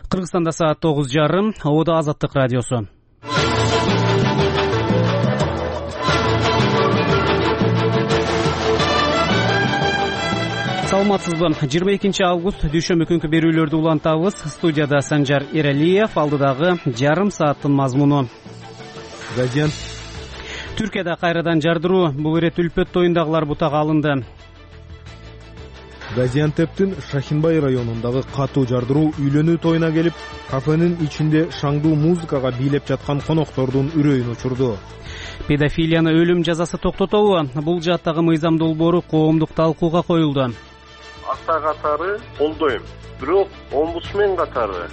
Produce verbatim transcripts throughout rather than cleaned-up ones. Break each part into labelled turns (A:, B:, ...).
A: Кыргызстанда саат тогуз жарым. Ода Азаттык радиосу. Саламатсызбы? жыйырма экинчи август дүйшөмбү күнкү берүүлөрдү улантабыз. Студияда Санжар Эралиев, алдыдагы жарым сааттын мазмуну.
B: Газиан.
A: Түркияда кайрадан жардыруу, бул ирет Үлпөт тоюндагылар бутага алынды.
B: Газиантептин Шахинбай районундагы катуу жардыруу үйлөнүү тоюна келип, кафенин ичинде шаңдуу музыкага бийлеп жаткан коноктордун үрөйүн учурду.
A: Педофилияны өлүм жазасы токтотобу? Бул жааттагы мыйзам долбоору коомдук талкууга коюлду.
C: Ата катары колдойм, бирок омбудсмен катары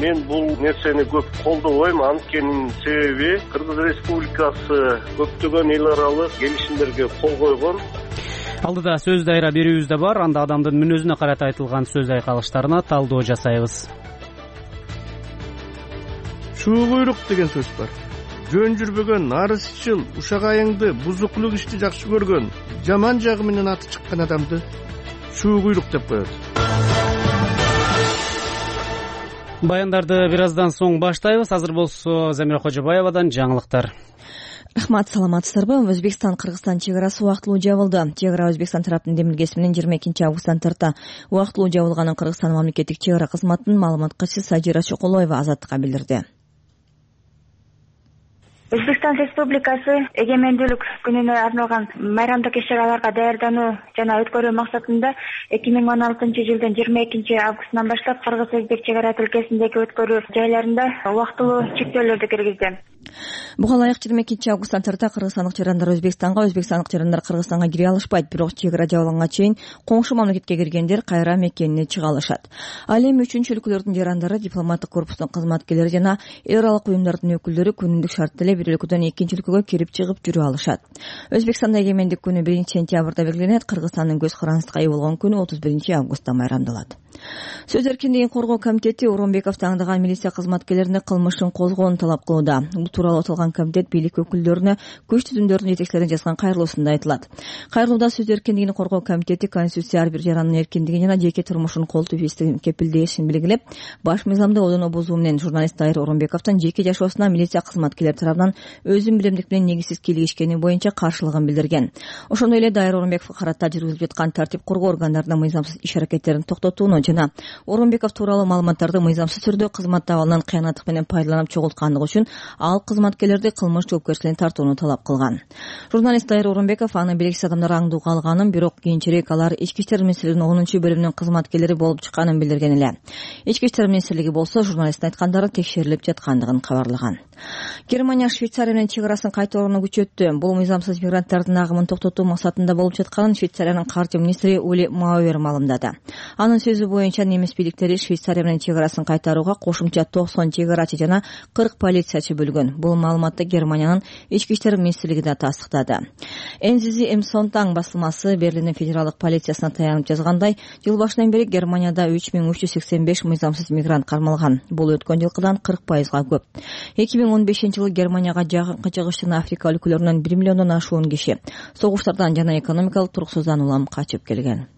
C: мен бул нерсени көп колдобойм. Анткенин себеби Кыргыз Республикасы көптөгөн эл аралык келишимдерге кол койгон.
A: Алдыда сөз дайра берүүбүз да бар. Анда адамдын мүнөзүнө карата айтылган сөз айкалыштарына талдоо жасайбыз.
D: Чуу куйрук деген сөз бар. Жөн жүрбөгөн, арызчыл, ушак айыңды, бузуклук ишти жакшы көргөн, жаман жагы менен аты чыккан адамды чуу куйрук деп коет.
A: Баяндарды бир аздан соң баштайбыз. Азыр болсо Замира Кожобаевадан жаңылыктар.
E: Рахмат, саламатсыздарбы? Өзбекстан-Кыргызстан чек арасы убактылуу жабылды. Чек ара Өзбекстан тараптын демилгеси менен жыйырма экинчи августтан тарта убактылуу жабылганын Кыргызстан мамлекеттик чек ара кызматынын маалымат катчысы Сажира Чоколоева Азаттыкка билдирди.
F: Өзбекстан Республикасы эгемендүүлүк күнүнө арналган майрамдык иш-чараларга даярдануу жана өткөрүү максатында эки миң он алтынчы жылдын жыйырма экинчи августунан баштап Кыргыз-Өзбек чек ара тилкесиндеги өткөрүү жайларында убактылуу чектөөлөрдү киргизди.
E: Буга ылайык жыйырма экинчи августтан тарта кыргызстандык жарандар Өзбекстанга, өзбекстандык жарандар Кыргызстанга кире алышпайт. Бирок чек ара жабылганга чейин коңшу мамлекетке киргендер кайра мекенине чыга алышат. Ал эми үчүнчү өлкөлөрдүн жарандары, дипломаттык корпустун кызматкерлери жана эл аралык уюмдардын өкүлдөрү күнүмдүк шартта эле бир өлкөдөн экинчи өлкөгө кирип чыгып жүрө алышат. Өзбекстанда эгемендик күнү биринчи сентябрда белгиленет. Кыргызстандын көз карандысына ээ болгон күнү отуз биринчи августта майрамдалат. Сөз эркиндигин коргоо комитети Орунбеков таңдаган милиция кызматкерлерине кылмышын козгоону талап кылууда. Бул тууралуу аталган комитет бийлик өкүлдөрүнө күч түзүмдөрдүн жетекчилерине жазган кайрылуусунда айтылат. Кайрылууда сөз эркиндигин коргоо комитети Конституция ар бир жарандын эркиндигин жана жеке турмушун колтуп ийиштигин кепилдешин белгилеп, баш мыйзамды одоно бузуу менен журналист Дайыр Орунбековдун жеке жашоосуна милиция кызматкерлери тарабынан өзүн билемдик менен негизсиз кийлигишкени боюнча каршылыгын билдирген. Ошондой эле Дайыр Орунбековго карата жүргүзүлүп жаткан тартип коргоо органдарынын мыйзамсыз иш-аракеттерин токтотууну жана Орунбеков тууралуу маалыматтарды мыйзамсыз түрдө кызмат абалынан кыянаттык менен пайдаланып чогулткандыгы үчүн ал кызматкерлерди кылмыш жоопкерчилигине тартууну талап кылган. Журналист Дайыр Орунбеков аны белгисиз адамдар аңдууга алганын, бирок кийинчерээк алар Ички иштер министрлигинин онунчу бөлүмүнүн кызматкерлери болуп чыкканын билдирген эле. Ички иштер министрлиги болсо журналисттин айткандары текшерилип жаткандыгын кабарлаган. Германия Швейцария менен чек арасын кайта орноо күчөттү. Бул мыйзамсыз мигранттардын агымын токтотуу максатында болуп жатканын Швейцариянын каржы министри Ули Мауэр маалымдады. Анын сөзү боюнча немис бийликтери Швейцария менен чек арасын кайтарууга кошумча токсон чек арачы жана кырк полициячы бөлгөн. Бул маалыматты Германиянын ички иштер министрлиги да тастыктады. Энзизи Эмсонтаң басылмасы Берлиндин федералдык полициясына таянып жазгандай, жыл башынан бери Германияда үч миң үч жүз сексен беш мыйзамсыз мигрант кармалган. Бул өткөн жылкыдан кырк пайызга көп. эки миң он бешинчи жылы Германияга жакынкы чыгыш жана Африка өлкөлөрүнөн бир миллиондон ашуун киши согуштардан жана экономикалык туруксуздан улам качып келген.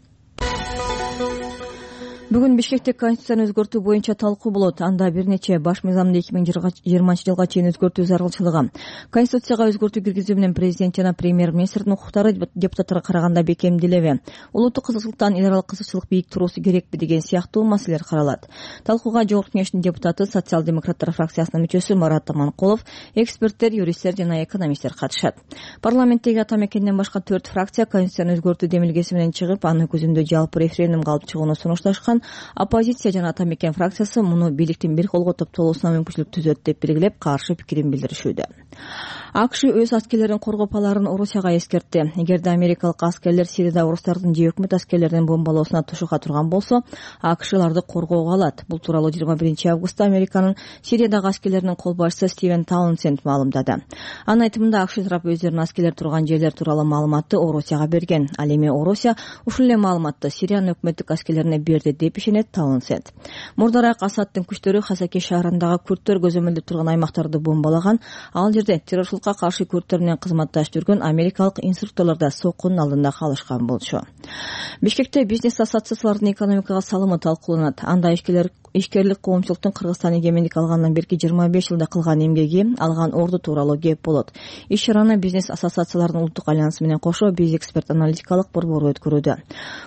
E: Бүгүн Бишкекте Конституцияны өзгөртүү боюнча талкуу болот. Анда бир нече баш мыйзамды эки миң жыйырманчы жылга чейин өзгөртүү зарылчылыгы, Конституцияга өзгөртүү киргизүү менен президент жана премьер-министрдин укуктары депутаттарга караганда бекемделеби, улуттук кызыкчылыктан эл аралык кызыкчылык бийик туруусу керекпи деген сыяктуу маселелер каралат. Талкууга Жогорку Кеңештин депутаты, социал-демократтар фракциясынын мүчөсү Марат Аманкулов, эксперттер, юристтер жана экономисттер катышат. Парламенттеги ата мекенден башка төрт фракция Конституцияны өзгөртүү демилгеси менен чыгып, аны көзөмдөө жалпы референдумга алып чыгууну сунушташкан. Оппозиция жана ата мекен фракциясы муну бийликтин бир колго топтолуусуна мүмкүнчүлүк түзөт деп белгилеп, каршы пикирин билдиришүүдө. АКШ өз аскерлерин коргоп аларын Орусияга эскертти. Эгерде америкалык аскерлер Сирияда орустардын же өкмөт аскерлеринин бомбалоосуна тушуга турган болсо, АКШ аларды коргоого алат. Бул тууралуу жыйырма биринчи августта Американын Сириядагы аскерлеринин кол башчысы Стивен Таунсенд маалымдады. Анын айтымында АКШ тарап өздөрүнүн аскерлер турган жерлер тууралуу маалыматты Орусияга берген. Ал эми Орусия ушул эле маалыматты Сириянын өкмөттүк аскерлерине берди деп ишенет Таунсенд. Мурдараак Асадтын күчтөрү Хасаки шаарындагы күрттөр көзөмөлдөп турган аймактарды бомбалаган. Ал жерде террорчулукка каршы күрттөр менен кызматташып жүргөн америкалык инструкторлор да соккунун алдында калышкан болчу. Бишкекте бизнес ассоциациялардын экономикага салымы талкууланат. Анда ишкерлер ишкерлик коомчулуктун Кыргызстан эгемендик алгандан берки жыйырма беш жылда кылган эмгеги, алган орду тууралуу кеп болот. Иш чараны бизнес ассоциациялардын улуттук альянсы менен кошо биз эксперт аналитикалык борбору өткөрүүдө.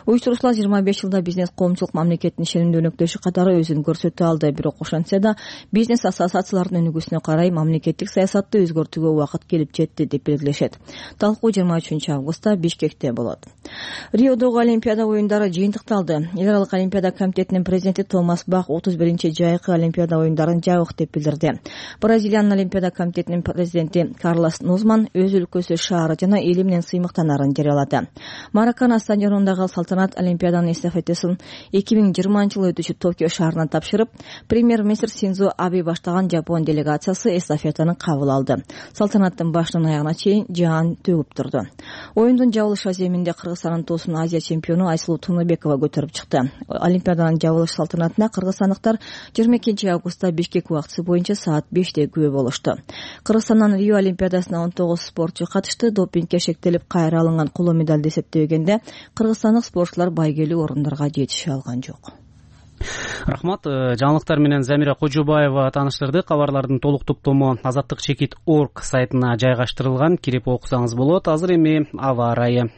E: Уюштуруучулар жыйырма беш жылда бизнес коомчулук мамлекеттин ишенимдүү өнөктөшү катары өзүн көрсөтө алды. Бирок ошентсе да бизнес ассоциациялардын өнүгүүсүнө карай мамлекеттик саясатты өзгөртүүгө убакыт келип жетти деп белгилешет. Талкуу жыйырма үчүнчү августта Бишкекте болот. Риодогу Олимпиада оюндары жыйынтыкталды. Эл аралык Олимпиада комитетинин президенти Томас Бах отуз биринчи жайкы Олимпиада оюндарын жабык деп билдирди. Бразилиянын Олимпиада комитетинин президенти Карлос Нузман өз өлкөсү, шаары жана эли менен сыймыктанаарын жарыялады. Маракана стадионундагы салтанат Олимпиаданын эстафетасын эки миң жыйырманчы жылы өтүүчү Токио шаарына тапшырып, премьер-министр Синдзо Абе баштаган Жапон делегациясы эстафетаны кабыл алды. Салтанаттын башынан аягына чейин жаан төгүп турду. Оюндун жабылыш аземинде Кыргызстандын тоосун Азия чемпиону Айсулуу Тунубекова көтөрүп чыкты. Олимпиаданын жабылыш салтанатына кыргызстандыктар жыйырма экинчи августта Бишкек убактысы боюнча саат беште күбө болушту. Кыргызстандан Рио Олимпиадасына он тогуз спортчу катышты. Допингге шектелип кайра алынган коло медалды эсептегенде кыргызстандык спортчулар байгелүү орундарга жетише алган жок.
A: Рахмат. Жаңылыктар менен Замира Кожобаева тааныштырды. Кабарлардын толук топтому азаттык чекит точка орг сайтына жайгаштырылган. Кирип окусаңыз болот. Азыр эми аба ырайы.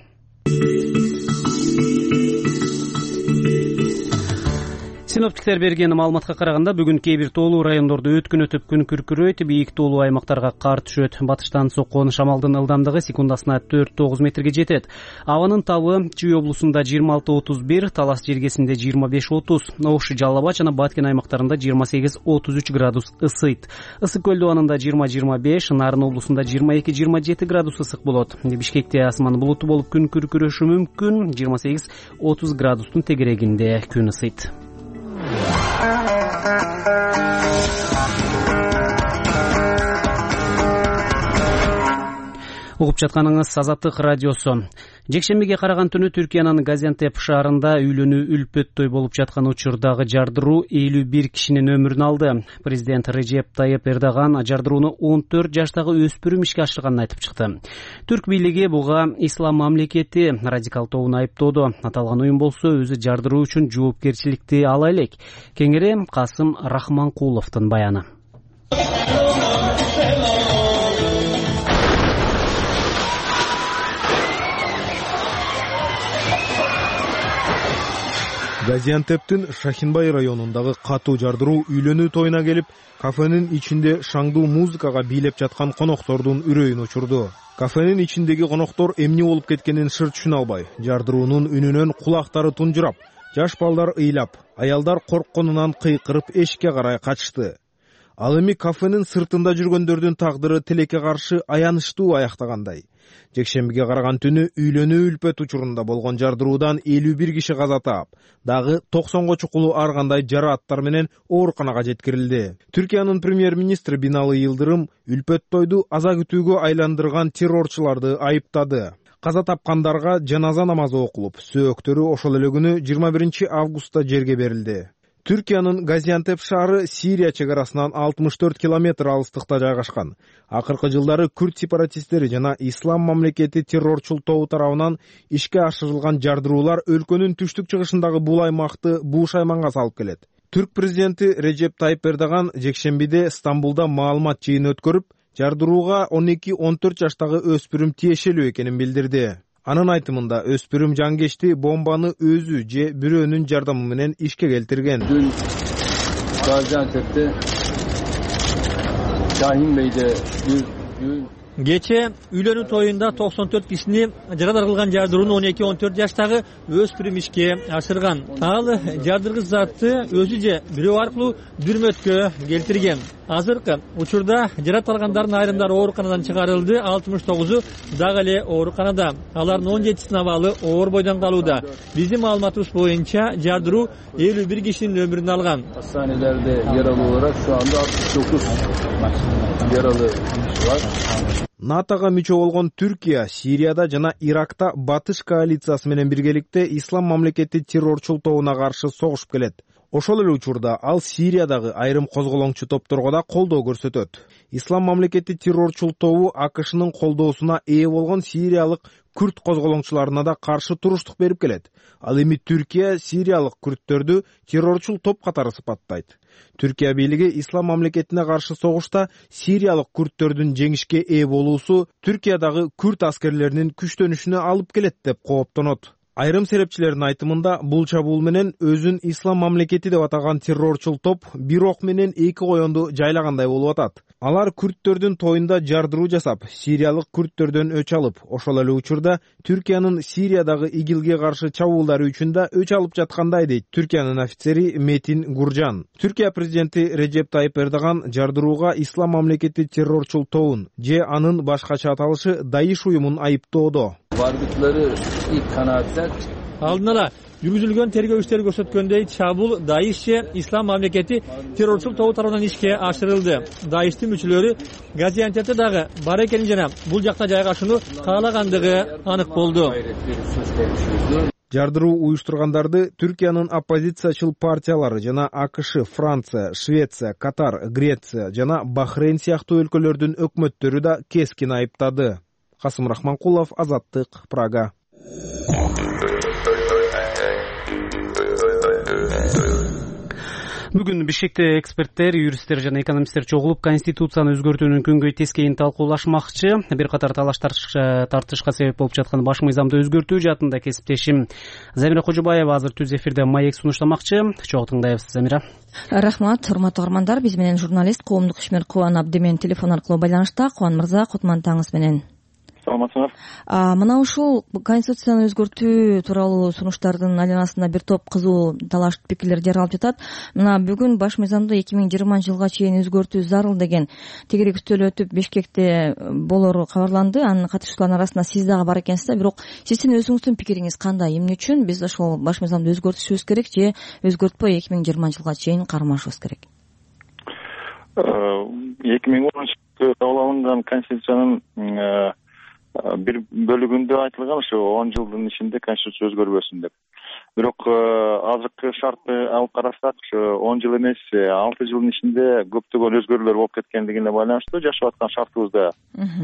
A: Синоптиктер берген маалыматка караганда бүгүн кээ бир тоолуу райондордо өткүнөтүп күн күркүрөйт, бийик тоолуу аймактарга кар түшөт. Батыштан соккон шамалдын ылдамдыгы секундасына төрт тогуз метрге жетет. Абанын табы Чүй облусунда жыйырма алты отуз бир, Талас жергесинде жыйырма беш отуз, Ош, Жалал Абад жана Баткен аймактарында жыйырма сегиз отуз үч градус ысыйт. Ысык көл абанында жыйырма жыйырма беш, Нарын облусунда жыйырма эки жыйырма жети градус ысык болот. Бишкекте асман булуттуу болуп күн күркүрөшү мүмкүн, жыйырма сегиз отуз градустун тегерегинде күн ысыйт. Угуп жатканыңыз Азаттык радиосу. Жекшембиге караган түнү Түркиянын Газиантеп шаарында үйлөнүү үлпөттөй болуп жаткан учурдагы жардыруу элүү бир кишинин өмүрүн алды. Президент Режеп Тайып Эрдоган жардырууну он төрт жаштагы өспүрүм ишке ашырганын айтып чыкты. Түрк бийлиги буга ислам мамлекети радикал тобун айыптоодо. Аталган уюм болсо өзү жардыруу үчүн жоопкерчиликти ала элек. Кеңири Касым Рахманкуловдун баяны.
B: Газиантептин Шахинбай районундагы катуу жардыруу үйлөнүү тоюна келип, кафенин ичинде шаңдуу музыкага бийлеп жаткан коноктордун үрөйүн учурду. Кафенин ичиндеги коноктор эмне болуп кеткенин сыр түшүнө албай, жардыруунун үнүнөн кулактары тунжурап, жаш балдар ыйлап, аялдар коркконунан кыйкырып эшикке карай качышты. Ал эми кафенин сыртында жүргөндөрдүн тагдыры тилекке каршы аянычтуу аяктагандай. Жекшембиге караган түнү үйлөнүү үлпөт учурунда болгон жардыруудан элүү бир киши каза таап, дагы токсонго чукулу ар кандай жарааттар менен ооруканага жеткирилди. Түркиянын премьер-министри Бинали Йылдырым үлпөт тойду аза күтүүгө айландырган террорчуларды айыптады. Каза тапкандарга жаназа намазы окулуп, сөөктөрү ошол эле күнү жыйырма биринчи августта жерге берилди. Түркиянын Газиантеп шаары Сирия чегарасынан алтымыш төрт километр алыстыкта жайгашкан. Акыркы жылдары күрд сепаратисттери жана ислам мамлекети террорчул тобу тарабынан ишке ашырылган жардыруулар өлкөнүн түштүк-чыгышындагы бул аймакты буушайманга салып келет. Түрк президенти Режеп Тайып Эрдоган жекшембиде Стамбулда маалымат жыйыны өткөрүп, жардырууга он эки он төрт жаштагы өспүрүм тиешелүү экенин билдирди. Анын айтымында өспүрүм жангечти бомбаны өзү же бирөөнүн жардамы менен ишке келтирген.
G: Dün Gaziantep'te Şahin Bey'de bir düğün.
H: Кече үйлөнүү тоюнда токсон төрт кишини жарадар кылган жардырууну он эки он төрт жаштагы өспүрүм ишке ашырган. Ал жардыргыч затты өзү же бирөө аркылуу дүрмөткө келтирген. Азыркы учурда жарат алгандардын айрымдары ооруканадан чыгарылды, алтымыш тогузу дагы эле ооруканада. Алардын он жетисинин абалы оор бойдон калууда. Биздин маалыматыбыз боюнча жардыруу элүү бир кишинин өмүрүн алган.
G: Hastanelerde yaralı olarak şu anda altmış dokuz yaralı var.
B: натого мүчө болгон Түркия, Сирияда жана Иракта Батыш коалициясы менен биргеликте ислам мамлекети террорчул тобуна каршы согушуп келет. Ошол эле учурда ал Сириядагы айрым козголоңчу топторго да колдоо көрсөтөт. Ислам мамлекети террорчул тобу АКШнын колдоосуна ээ болгон сириялык күрд козголоңчуларына да каршы туруштук берип келет. Ал эми Түркия сириялык күрдтөрдү террорчул топ катары сыпаттайт. Түркия бийлиги ислам мамлекетине каршы согушта сириялык күрдтөрдүн жеңишке ээ болуусу Түркиядагы күрд аскерлеринин күчтөнүшүнө алып келет деп кооптонот. Айрым серепчилердин айтымында бул чабуул менен өзүн ислам мамлекети деп атаган террорчул топ бир ок менен эки коёнду жайлагандай болуп атат. Алар күрдтөрдүн тоюнда жардыруу жасап, сириялык күрдтөрдөн өч алып, ошол эле учурда Түркиянын Сириядагы игилге каршы чабуулдары үчүн да өч алып жаткандай дейт Түркиянын офицери Метин Гуржан. Түркия президенти Режеп Тайип Эрдоган жардырууга ислам мамлекети террорчул тобун же анын башкача аталышы Даиш уюмун айыптоодо.
G: Vardıkları ilk kanaatler
H: алдын ала жүргүзүлгөн тергөө иштери көрсөткөндөй чабуул Даиш же ислам мамлекети террорчул тобу тарабынан ишке ашырылды. Даиштин мүчөлөрү Газиантепте дагы бар экени жана бул жакта жайгашууну каалагандыгы анык болду.
B: Жардыруу уюштургандарды Түркиянын оппозициячыл партиялары жана АКШ, Франция, Швеция, Катар, Греция жана Бахрейн сыяктуу өлкөлөрдүн өкмөттөрү да кескин айыптады. Касым Рахманкулов, Азаттык, Прага.
A: Бүгүн Бишкекте эксперттер, юристтер жана экономисттер чогулуп Конституцияны өзгөртүүнүн күнгөй тескейин талкуулашмакчы. Бир катар талаш тартышка себеп болуп жаткан баш мыйзамды өзгөртүү жаатында кесиптешим Замира Кожобаева азыр түз эфирде маек сунуштамакчы. Чогуу тыңдайбыз, Замира.
E: Рахмат, урматтуу угармандар. Биз менен журналист, коомдук ишмер Кубан Абдимен телефон аркылуу байланышта. Кубан мырза, кутман таңыңыз менен.
I: Саламатсыңар.
E: Мына ушул Конституцияны өзгөртүү тууралуу сунуштардын айланасында бир топ кызуу талаш пикирлер жаралып жатат. Мына бүгүн баш мыйзамды эки миң жыйырманчы жылга чейин өзгөртүү зарыл деген тегерек үстөл өтүп Бишкекте болору кабарланды. Анын катышуучуларынын арасында сиз дагы бар экенсиз да. Бирок сиздин өзүңүздүн пикириңиз кандай? Эмне үчүн биз ошол баш мыйзамды өзгөртүшүбүз керек же өзгөртпөй эки миң жыйырманчы жылга чейин кармашыбыз керек?
I: эки миң онунчу жылы кабыл алынган Конституциянын бир бөлүгүндө айтылган ушу он жылдын ичинде Конституция өзгөрбөсүн деп. Бирок азыркы шартты алып карасак, ушу он жыл эмес, алты жылдын ичинде көптөгөн өзгөрүүлөр болуп кеткендигине байланыштуу жашап аткан шартыбызда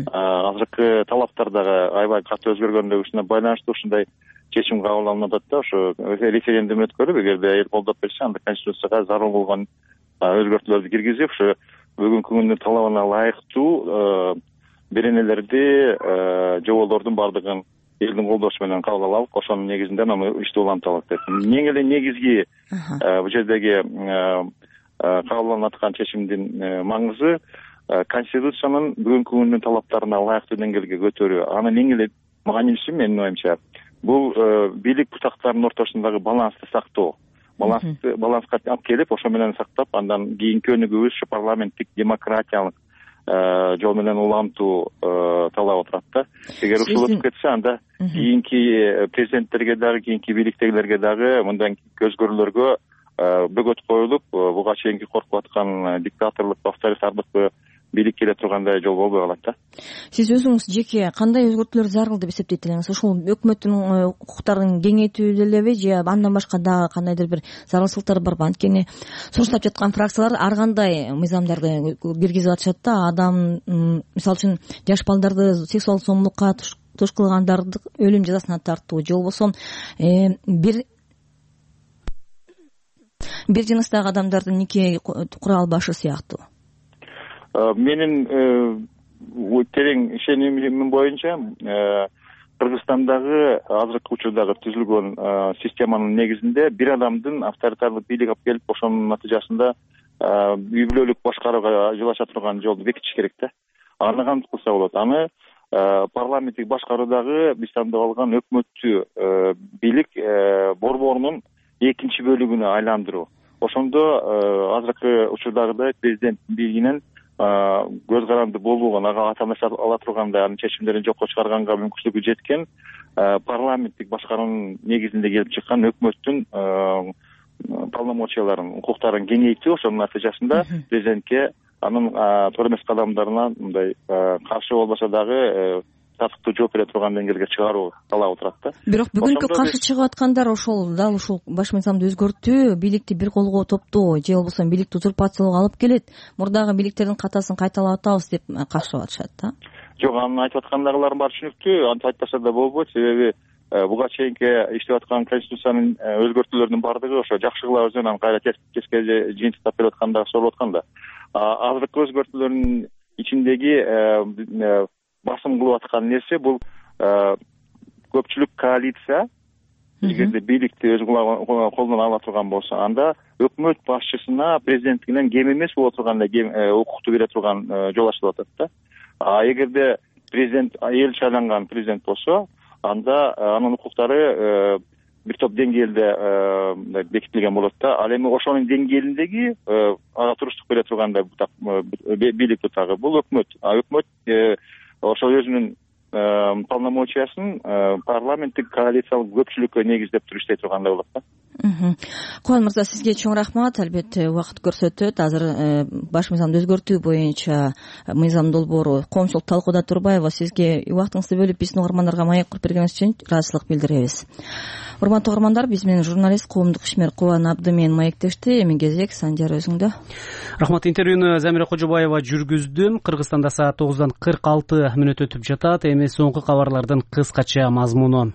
I: азыркы талаптар дагы аябай катуу өзгөргөндүгүнө байланыштуу ушундай чечим кабыл алынып атат да. Ошо референдум өткөрүп, эгерде эл колдоп берсе, анда Конституцияга зарыл болгон өзгөртүүлөрдү киргизип, ошо бүгүнкү күндүн талабына ылайыктуу беренелерди, жоболордун бардыгын элдин колдошу менен кабыл алып, ошонун негизинде аны иштеп улантып алат деп. Эң эле негизги бул жердеги кабыл алынып аткан чечимдин маңызы Конституциянын бүгүнкү күндүн талаптарына ылайыктуу деңгээлге көтөрүү. Анын эң эле маанилүүсү менин оюмча бул бийлик бутактарынын ортосундагы балансты сактоо. Балансты баланска алып келип, ошо менен сактап, андан кийинки өнүгүүбүз ушу парламенттик демократиялык жол менен улантуу талап отурат да. Эгер ушул өтүп кетсе, анда кийинки президенттерге дагы, кийинки бийликтегилерге дагы мындай өзгөрүүлөргө бөгөт коюлуп, буга чейинки коркуп аткан диктаторлук, авторитардык бийлик келе тургандай жол болбой калат да.
E: Сиз өзүңүз жеке кандай өзгөртүүлөр зарыл деп эсептейт элеңиз? Ошол өкмөттүн укуктарын кеңейтүү делеби же андан башка дагы кандайдыр бир зарылчылыктар барбы? Анткени сунуштап жаткан фракциялар ар кандай мыйзамдарды киргизип атышат да. Адам, мисалы үчүн, жаш балдарды сексуалдык зомбулукка туш кылгандарды өлүм жазасына тартуу же болбосо бир бир жыныстагы адамдарды нике кура албашы сыяктуу.
I: Менин терең ишенимим боюнча Кыргызстандагы азыркы учурдагы түзүлгөн системанын негизинде бир адамдын авторитарлык бийлик алып келип, ошонун натыйжасында үй бүлөлүк башкарууга жол ача турган жолду бекитиш керек да. Аны кантип кылса болот? Аны парламенттик башкаруудагы биз тандап алган өкмөттүү бийлик борборунун экинчи бөлүгүнө айландыруу. Ошондо азыркы учурдагыдай президент бийлигинен көз каранды болбогон, ага ата эмес ала тургандай анын чечимдерин жокко чыгарганга мүмкүнчүлүгү жеткен парламенттик башкаруунун негизинде келип чыккан өкмөттүн полномочияларын, укуктарын кеңейтүү, ошонун натыйжасында президентке анын туура эмес кадамдарына мындай каршы болбосо дагы татыктуу жооп бере турган деңгээлге чыгаруу талабы турат да.
E: Бирок бүгүнкү каршы чыгып аткандар ошол дал ушул баш мыйзамды өзгөртүү бийликти бир колго топтоо же болбосо бийликти узурпациялоого алып келет, мурдагы бийликтердин катасын кайталап атабыз деп каршылап атышат да.
I: Жок, анын айтып аткандарлар бар түшүнүктүү, антип айтпаса да болбойт, себеби буга чейинки иштеп аткан конституциянын өзгөртүүлөрүнүн баардыгы ошо жакшыгыла өзүнөн анан кайра тескиге жыйынтыктап берип атканда болуп аткан да. Азыркы өзгөртүүлөрдүн ичиндеги басым кылып аткан нерсе бул көпчүлүк коалиция эгерде бийликти өз колуна ала турган болсо, анда өкмөт башчысына президенттигинен кем эмес боло турган укукту бере турган жол ачылып атат да. А эгерде президент эл шайланган президент болсо, анда анын укуктары бир топ деңгээлде бекитилген болот да. Ал эми ошонун деңгээлиндеги ага туруштук бере тургандай бийлик бутагы бул өкмөт. А өкмөт ошол өзүнүн полномочиясын парламенттик коалициялык көпчүлүккө негиздеп туруп иштей тургандай болот да.
E: Кубан мырза, сизге чоң рахмат. Албетте убакыт көрсөтөт. Азыр баш мыйзамды өзгөртүү боюнча мыйзам долбоору коомчулук талкууда турбайбы? Сизге убактыңызды бөлүп биздин угармандарга маек куруп бергениңиз үчүн ыраазычылык билдиребиз. Урматтуу угармандар, биз менен журналист, коомдук ишмер Кубан Абдымен маектешти. Эми кезек Сандияр өзүңдө.
A: Рахмат. Интервьюну Замира Кожобаева жүргүздүм. Кыргызстанда саат тогуздан кырк алты мүнөт өтүп жатат. Эми соңку кабарлардын кыскача мазмуну.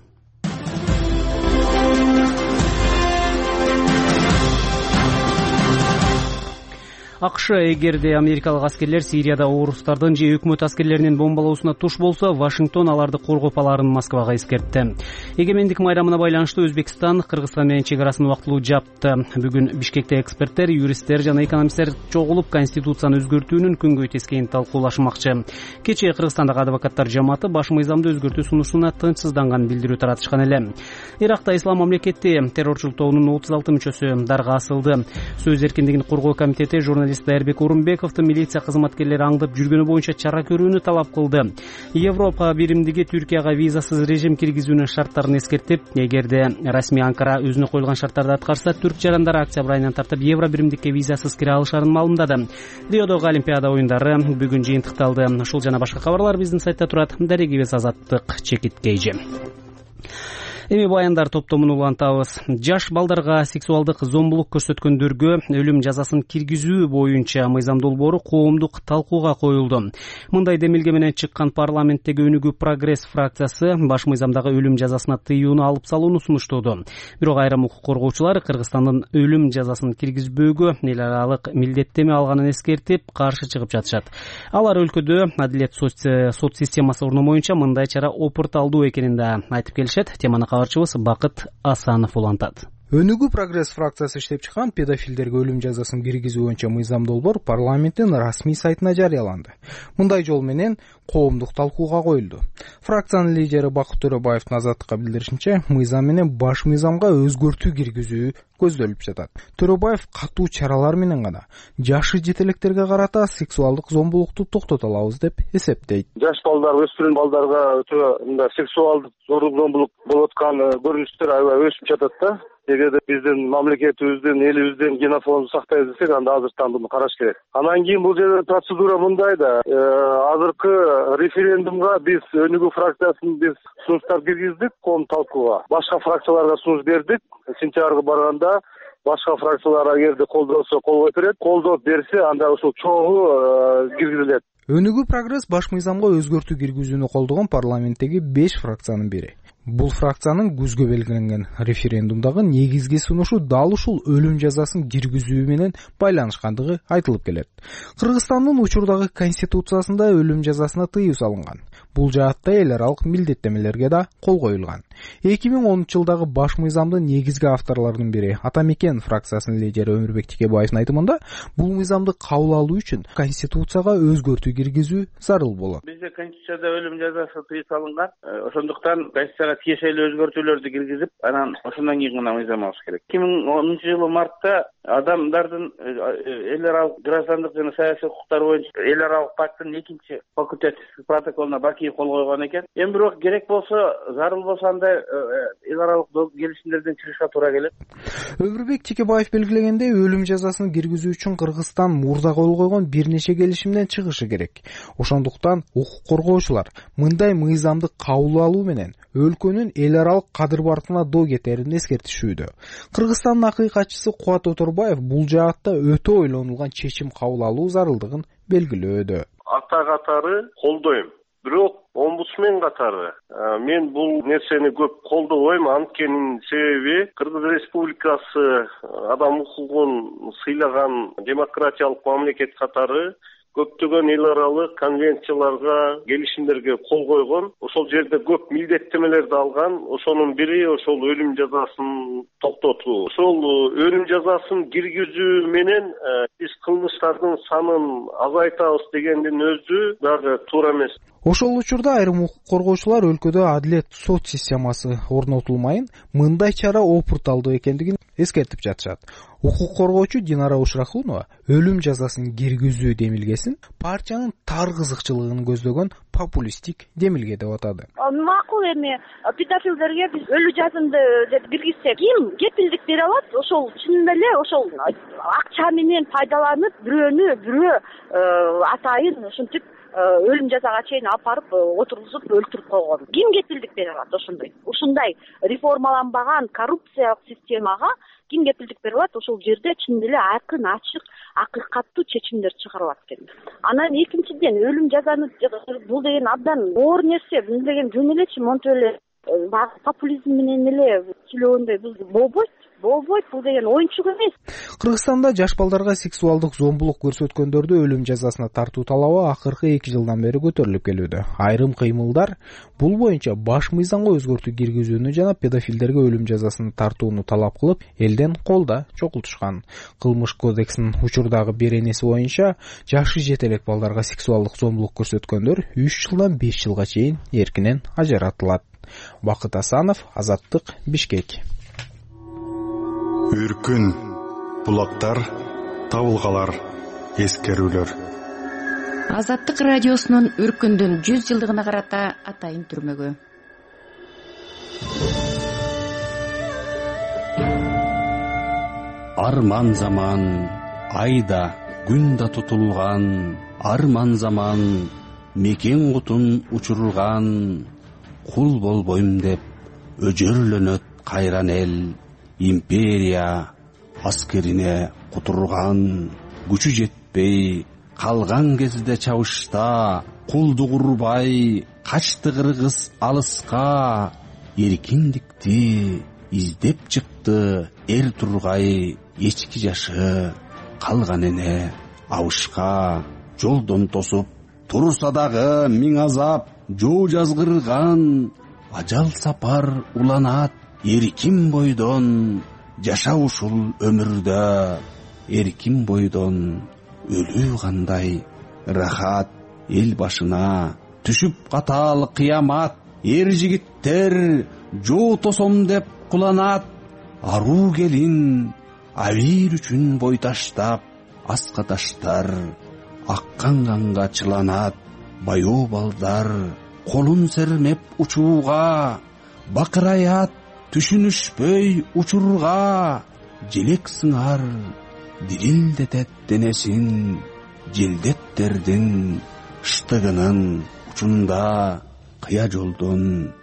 A: АКШ эгерде америкалык аскерлер Сирияда орустардын же өкмөт аскерлеринин бомбалоосуна туш болсо, Вашингтон аларды коргоп аларын Москвага эскертти. Эгемендик майрамына байланыштуу Өзбекстан Кыргызстан менен чек арасын убактылуу жапты. Бүгүн Бишкекте эксперттер, юристтер жана экономисттер чогулуп Конституцияны өзгөртүүнүн күнгөй тескейин талкуулашмакчы. Кечээ Кыргызстандагы адвокаттар жамааты баш мыйзамды өзгөртүү сунушуна тынчсызданганын билдирүү таратышкан эле. Иракта Ислам мамлекети террорчулук тобунун отуз алты мүчөсү дарга асылды. Сөз эркиндигин коргоо комитети журналист Дайырбек Орунбековду милиция кызматкерлери аңдып жүргөнү боюнча чара көрүүнү талап кылды. Европа биримдиги Түркияга визасыз режим киргизүүнүн шарттарын эскертип, эгерде расмий Анкара өзүнө коюлган шарттарды аткарса, түрк жарандары октябрь айынан тартып Евро биримдикке визасыз кире алышарын маалымдады. Риодогу Олимпиада оюндары бүгүн жыйынтыкталды. Ушул жана башка кабарлар биздин сайтта турат. Дарегибиз Азаттык Чекиткейжи. Эми баяндар топтомун улантабыз. Жаш балдарга сексуалдык зомбулук көрсөткөндөргө өлүм жазасын киргизүү боюнча мыйзам долбоору коомдук талкууга коюлду. Мындай демилге менен чыккан парламенттеги Өнүгүү прогресс фракциясы баш мыйзамдагы өлүм жазасына тыюуну алып салууну сунуштоодо. Бирок айрым укук коргоочулар Кыргызстандын өлүм жазасын киргизбөөгө эл аралык милдеттеме алганын эскертип, каршы чыгып жатышат. Алар өлкөдө адилет сот системасы орномоюнча мындай чара опурталдуу экенин да айтып келишет. Теманы кабарчыбыз Бакыт Асанов улантат.
B: Өнүгүү прогресс фракциясы иштеп чыккан педофилдерге өлүм жазасын киргизүү боюнча мыйзам долбоор парламенттин расмий сайтына жарыяланды. Мындай жол менен коомдук талкууга коюлду. Фракциянын лидери Бакыт Төрөбаевдин Азаттыкка билдиришинче, мыйзам менен баш мыйзамга өзгөртүү киргизүү көздөлүп жатат. Төрөбаев катуу чаралар менен гана жашы жетелектерге карата сексуалдык зомбулукту токтото алабыз деп эсептейт.
C: Жаш балдар, өспүрүм балдарга өтө мындай сексуалдык зорлук зомбулук болуп аткан көрүнүштөр аябай өсүп жатат да. Эгерде биздин мамлекетибиздин, элибиздин генофондун сактайбыз десек, анда азыртан муну караш керек. Анан кийин бул жерде процедура мындай да. Азыркы референдумга биз Өнүгүү фракциясын биз сунуштар киргиздик коом талкууга. Башка фракцияларга сунуш бердик. Сентябрга барганда башка фракциялар эгерде колдосо колдоп берет, колдоп берсе анда ошол чогуу киргизилет.
B: Өнүгүү прогресс баш мыйзамга өзгөртүү киргизүүнү колдогон парламенттеги беш фракциянын бири. Бул фракциянын күзгө белгиленген референдумдагы негизги сунушу дал ушул өлүм жазасын киргизүү менен байланышкандыгы айтылып келет. Кыргызстандын учурдагы конституциясында өлүм жазасына тыюу салынган. Бул жаатта эл аралык милдеттемелерге да кол коюлган. эки миң онунчу жылдагы баш мыйзамдын негизги авторлорунун бири Атамекен фракциясынын лидери Өмүрбек Текебаевдин айтымында, бул мыйзамды кабыл алуу үчүн конституцияга өзгөртүү киргизүү зарыл болот.
J: Бизде конституцияда өлүм жазасы тыюу салынган. Ошондуктан конституцияга конституцияга тиешелүү өзгөртүүлөрдү киргизип, анан ошондон кийин гана мыйзамабыз керек. эки миң онунчу жылы мартта адамдардын эл аралык граждандык жана саясий укуктары боюнча эл аралык пакттын экинчи факультативдик протоколуна Бакиев кол койгон экен. Эми бирок керек болсо, зарыл болсо андай эл аралык келишимдерден чыгышка туура келет.
B: Өмүрбек Текебаев белгилегендей, өлүм жазасын киргизүү үчүн Кыргызстан мурда кол койгон бир нече келишимден чыгышы керек. Ошондуктан укук коргоочулар мындай мыйзамды кабыл алуу менен өлкөнүн эл аралык кадыр-баркына доо кетерин эскертишүүдө. Кыргызстандын акыйкатчысы Кубат Оторбаев бул жаатта өтө ойлонулган чечим кабыл алуу зарылдыгын белгилөөдө.
C: Ата катары колдойм. Бирок омбудсмен катары мен бул нерсени көп колдобойм. Анткенин себеби Кыргыз Республикасы адам укугун сыйлаган демократиялык мамлекет катары көптөгөн эл аралык конвенцияларга, келишимдерге кол койгон. Ошол жерде көп милдеттемелерди алган. Ошонун бири ошол өлүм жазасын токтотуу. Ошол өлүм жазасын киргизүү менен биз кылмыштардын санын азайтабыз дегендин өзү дагы туура эмес.
B: Ошол учурда айрым укук коргоочулар өлкөдө адилет сот системасы орнотулмайын, мындай чара опурталдуу экендигин эскертип жатышат. Укук коргоочу Динара Ушрахунова өлүм жазасын киргизүү демилгесин партиянын тар кызыкчылыгын көздөгөн популисттик демилге деп атады.
K: Макул эми педофилдерге биз өлүм жазасында деп киргизсек, ким кепилдик бере алат? Ошол чынында эле ошол акча менен пайдаланып, бирөөнү бирөө атайын ушинтип өлүм жазага чейин алып барып отургузуп өлтүрүп койгон. Ким кепилдик бере алат ошондой? Ушундай реформаланбаган коррупциялык системага ким кепилдик бере алат? Ошол жерде чын эле айкын, ачык, акыйкаттуу чечимдер чыгарылат экен. Анан экинчиден өлүм жазаны бул деген абдан оор нерсе. Бул деген жөн элечи монтип эле популизм менен эле сүйлөгөндөй бул болбойт. Болбойт, бул деген оюнчук эмес.
B: Кыргызстанда жаш балдарга сексуалдык зомбулук көрсөткөндөрдү өлүм жазасына тартуу талабы акыркы эки жылдан бери көтөрүлүп келүүдө. Айрым кыймылдар бул боюнча баш мыйзамга өзгөртүү киргизүүнү жана педофилдерге өлүм жазасын тартууну талап кылып, элден колда чогултушкан. Кылмыш кодексинин учурдагы беренеси боюнча жашы жете элек балдарга сексуалдык зомбулук көрсөткөндөр үч жылдан беш жылга чейин эркинен ажыратылат. Бакыт Асанов, Азаттык, Бишкек.
L: Үркүн, булактар, табылгалар, эскерүүлөр.
M: Азаттык радиосунун Үркүндүн жүз жылдыгына карата атайын түрмөгү.
N: Арман заман, айда, күн да тутулган, арман заман, мекен кутун учурулган, кул болбойм деп өжөрлөнөт кайран эл. Империя аскерине кутурган, күчү жетпей калган кезде чабышта, кулдук урбай качты кыргыз алыска, эркиндикти издеп чыкты эр тургай эчки жашы, калган эне абышка. Жолдон тосуп турса дагы миң азап, жоо жазгырган, ажал сапар уланат. Эркин бойдон жаша ушул өмүрдө, эркин бойдон өлүү кандай рахат. Эл башына түшүп катал кыямат, эр жигиттер жоо тосом деп куланат. Аруу келин абийир үчүн бой таштап, аска таштар аккан канга чыланат. Баяу балдар колун сермеп учууга, бакыраят түшүнүшпөй учурга. Желек сыңар дирилдетет денесин, желдеттердин штыгынын учунда. Кыя жолдон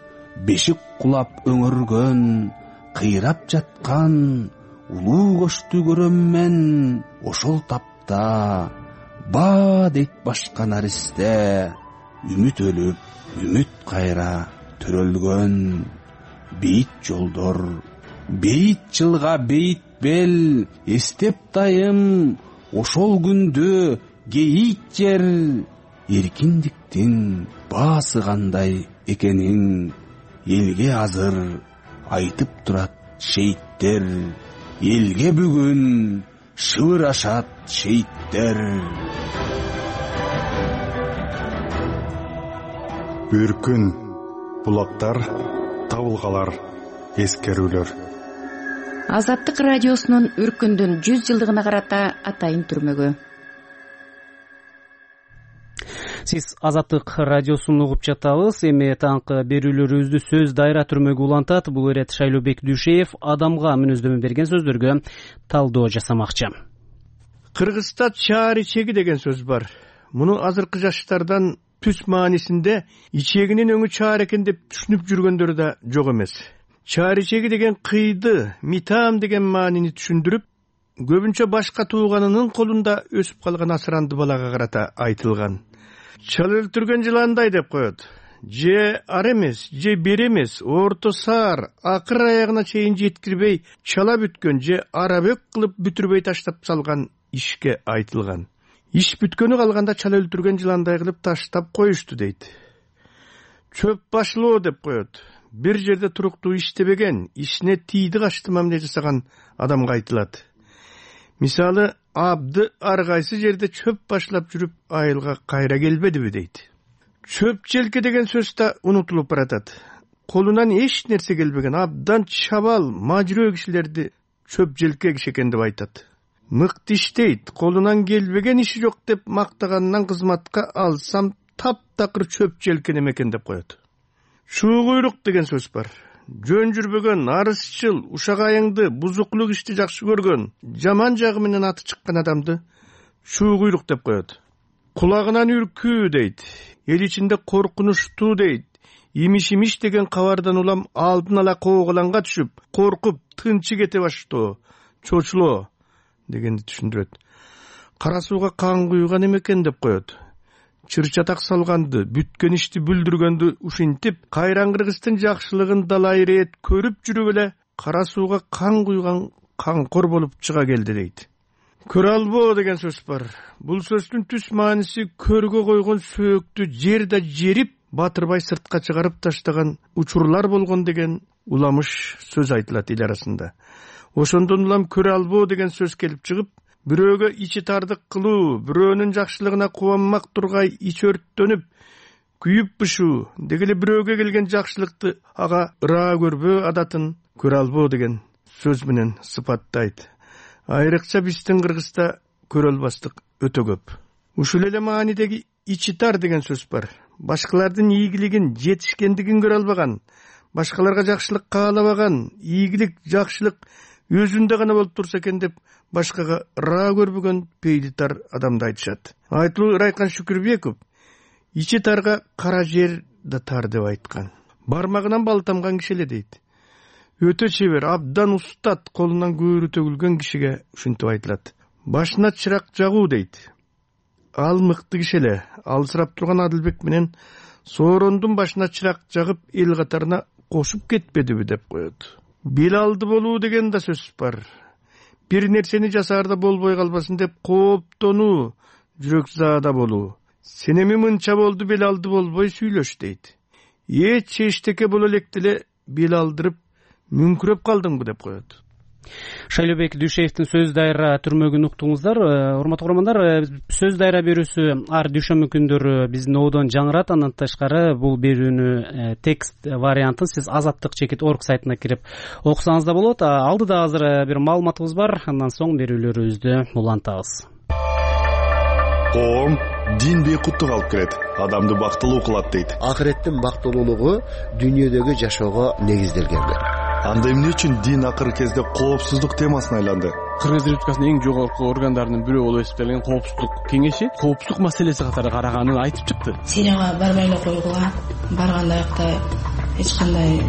N: бешик кулап өңөргөн, кыйрап жаткан улуу көчтү көрөм мен. Ошол тапта ба дейт башка наристе, үмүт өлүп, үмүт кайра төрөлгөн. Бейит жолдор, бейит жылга бейит бел, эстеп дайым ошол күндү кейит жер. Эркиндиктин баасы кандай экенин элге азыр айтып турат шейиттер. Элге бүгүн шыбырашат шейиттер.
L: Үркүн, булактар, табыл табылгалар, эскерүүлөр.
M: Азаттык радиосунун өркүндүн жүз жылдыгына карата атайын түрмөгү.
A: Сиз Азаттык радиосун угуп жатабыз. Эми таңкы берүүлөрүбүздү сөз дайра түрмөгү улантат. Бул ирет Шайлообек Дүйшеев адамга мүнөздөмө берген сөздөргө талдоо жасамакчы.
D: Кыргызда чаар ичеги деген сөз бар. Муну азыркы жаштардан түз маанисинде ичегинин өңү чаар экен деп түшүнүп жүргөндөр да жок эмес. Чаар ичеги деген кыйды, митам деген маанини түшүндүрүп, көбүнчө башка тууганынын колунда өсүп калган асыранды балага карата айтылган. Чал өлтүргөн жыландай деп коет. Же ар эмес, же бер эмес, орто саар, акыр аягына чейин жеткирбей чала бүткөн, же арабөк кылып бүтүрбөй таштап салган ишке айтылган. Иш бүткөнү калганда чал өлтүргөн жыландай кылып таштап коюшту дейт. Чөп башылоо деп коет. Бир жерде туруктуу иштебеген, ишине тийди качты мамиле жасаган адамга айтылат. Мисалы, абды ар кайсы жерде чөп башлап жүрүп айылга кайра келбедиби дейт. Чөп желке деген сөз да унутулуп баратат. Колунан эч нерсе келбеген абдан чабал, мажрөө кишилерди чөп желке киши экен деп айтат. Мыкты иштейт, колунан келбеген иши жок деп мактаганынан кызматка алсам таптакыр чөп желке неме экен деп коет. Шуу куйрук деген сөз бар. Жөн жүрбөгөн, арызчыл, ушак айыңды, бузуклук ишти жакшы көргөн, жаман жагы менен аты чыккан адамды шуу куйрук деп коет. Кулагынан үркүү дейт, эл ичинде коркунучтуу дейт. Имиш-имиш деген кабардан улам алдын ала кооголанга түшүп, коркуп, тынчы кете баштоо, чочулоо дегенди түшүндүрөт. Кара сууга кан куйган эмекен деп коет. Чыр-чатак салганды, бүткөн ишти бүлдүргөндү ушинтип, кайран кыргыздын жакшылыгын далай ирет көрүп жүрүп эле кара сууга кан куйган канкор болуп чыга келди дейт. Көрө албоо деген сөз бар. Бул сөздүн түз мааниси көргө койгон сөөктү жерде жерип, батырбай сыртка чыгарып таштаган учурлар болгон деген уламыш сөз айтылат эл арасында. Ошондон улам көрө албоо деген сөз келип чыгып, бирөөгө ичи тардык кылуу, бирөөнүн жакшылыгына кубанмак тургай ич өрттөнүп, күйүп бышуу, деги эле бирөөгө келген жакшылыкты ага ыраа көрбөө адатын көрө албоо деген сөз менен сыпаттайт. Айрыкча биздин Кыргызда көрө албастык өтө көп. Ушул эле маанидеги ичи тар деген сөз бар. Башкалардын ийгилигин, жетишкендигин көрө албаган, башкаларга жакшылык каалабаган, ийгилик, жакшылык өзүндө гана болуп турса экен деп башкага ыраа көрбөгөн пейли тар адамды айтышат. Айтылуу Ырайкан Шүкүрбеков ичи тарга кара жер да тар деп айткан. Бармагынан бал тамган киши эле дейт. Өтө чебер, абдан устат, колунан көөрү төгүлгөн кишиге ушинтип айтылат. Башына чырак жагуу дейт. Ал мыкты киши эле. Алсырап турган Адылбек менен Соорондун башына чырак жагып эл катарына кошуп кетпедиби деп коет. Бел алды болуу деген да сөз бар. Бир нерсени жасаарда болбой калбасын деп кооптонуу, жүрөк заада болуу. Сен эми мынча болду, бел алды болбой сүйлөш дейт. Эч эчтеке боло электе эле бел алдырып мүңкүрөп калдыңбы деп коет.
A: Шайлообек Дүйшеевдин сөз дайра түрмөгүн уктуңуздар. Урматтуу көрөрмандар, сөз дайра берүүсү ар дүйшөмбү күндөрү биздин ободон жаңырат. Андан тышкары бул берүүнү текст вариантын сиз Азаттык чекит орг сайтына кирип окусаңыз да болот. Алдыда азыр бир маалыматыбыз бар, андан соң берүүлөрүбүздү улантабыз.
L: Коом дин бейкуттук алып келет, адамды бактылуу кылат дейт.
O: Акыреттин бактылуулугу дүйнөдөгү жашоого негизделген.
L: Анда эмне үчүн дин акыркы кезде коопсуздук темасына айланды?
P: Кыргыз Республикасынын эң жогорку органдарынын бирөө болуп эсептелген коопсуздук кеңеши коопсуздук маселеси катары караганын айтып чыкты.
Q: Сирияга барбай эле койгула, барганда акта эч кандай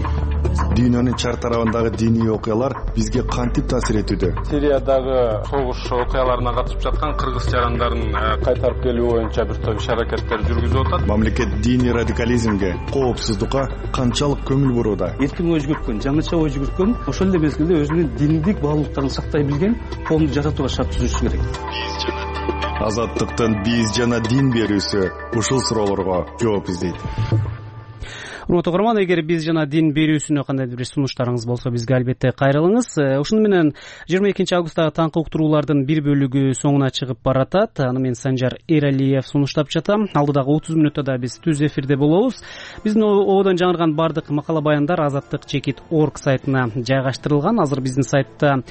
L: Дүйнөнүн чар тарабындагы диний окуялар бизге кантип таасир этүүдө?
R: Сириядагы согуш окуяларына катышып жаткан кыргыз жарандарын кайтарып келүү боюнча бир топ иш-аракеттер жүргүзүп атат.
L: Мамлекет диний радикализмге, коопсуздукка канчалык көңүл бурууда?
A: Эркин ой жүгүрткөн, жаңыча ой жүгүрткөн, ошол эле мезгилде өзүнүн диндик баалуулуктарын сактай билген коомду жасатууга шарт түзүшү керек.
L: Азаттыктын биз жана дин берүүсү ушул суроолорго жооп издейт.
A: урматтуу угарман, эгер биз жана дин берүүсүнө кандайдыр бир сунуштарыңыз болсо бизге албетте кайрылыңыз. Ушуну менен жыйырма экинчи августтагы таңкы уктуруулардын бир бөлүгү соңуна чыгып баратат. Аны мен Санжар Эралиев сунуштап жатам. Алдыдагы отуз мүнөттө да биз түз эфирде болобуз. Биздин ободон жаңырган бардык макала баяндар азаттык чекит точка орг сайтына жайгаштырылган. Азыр биздин сайтта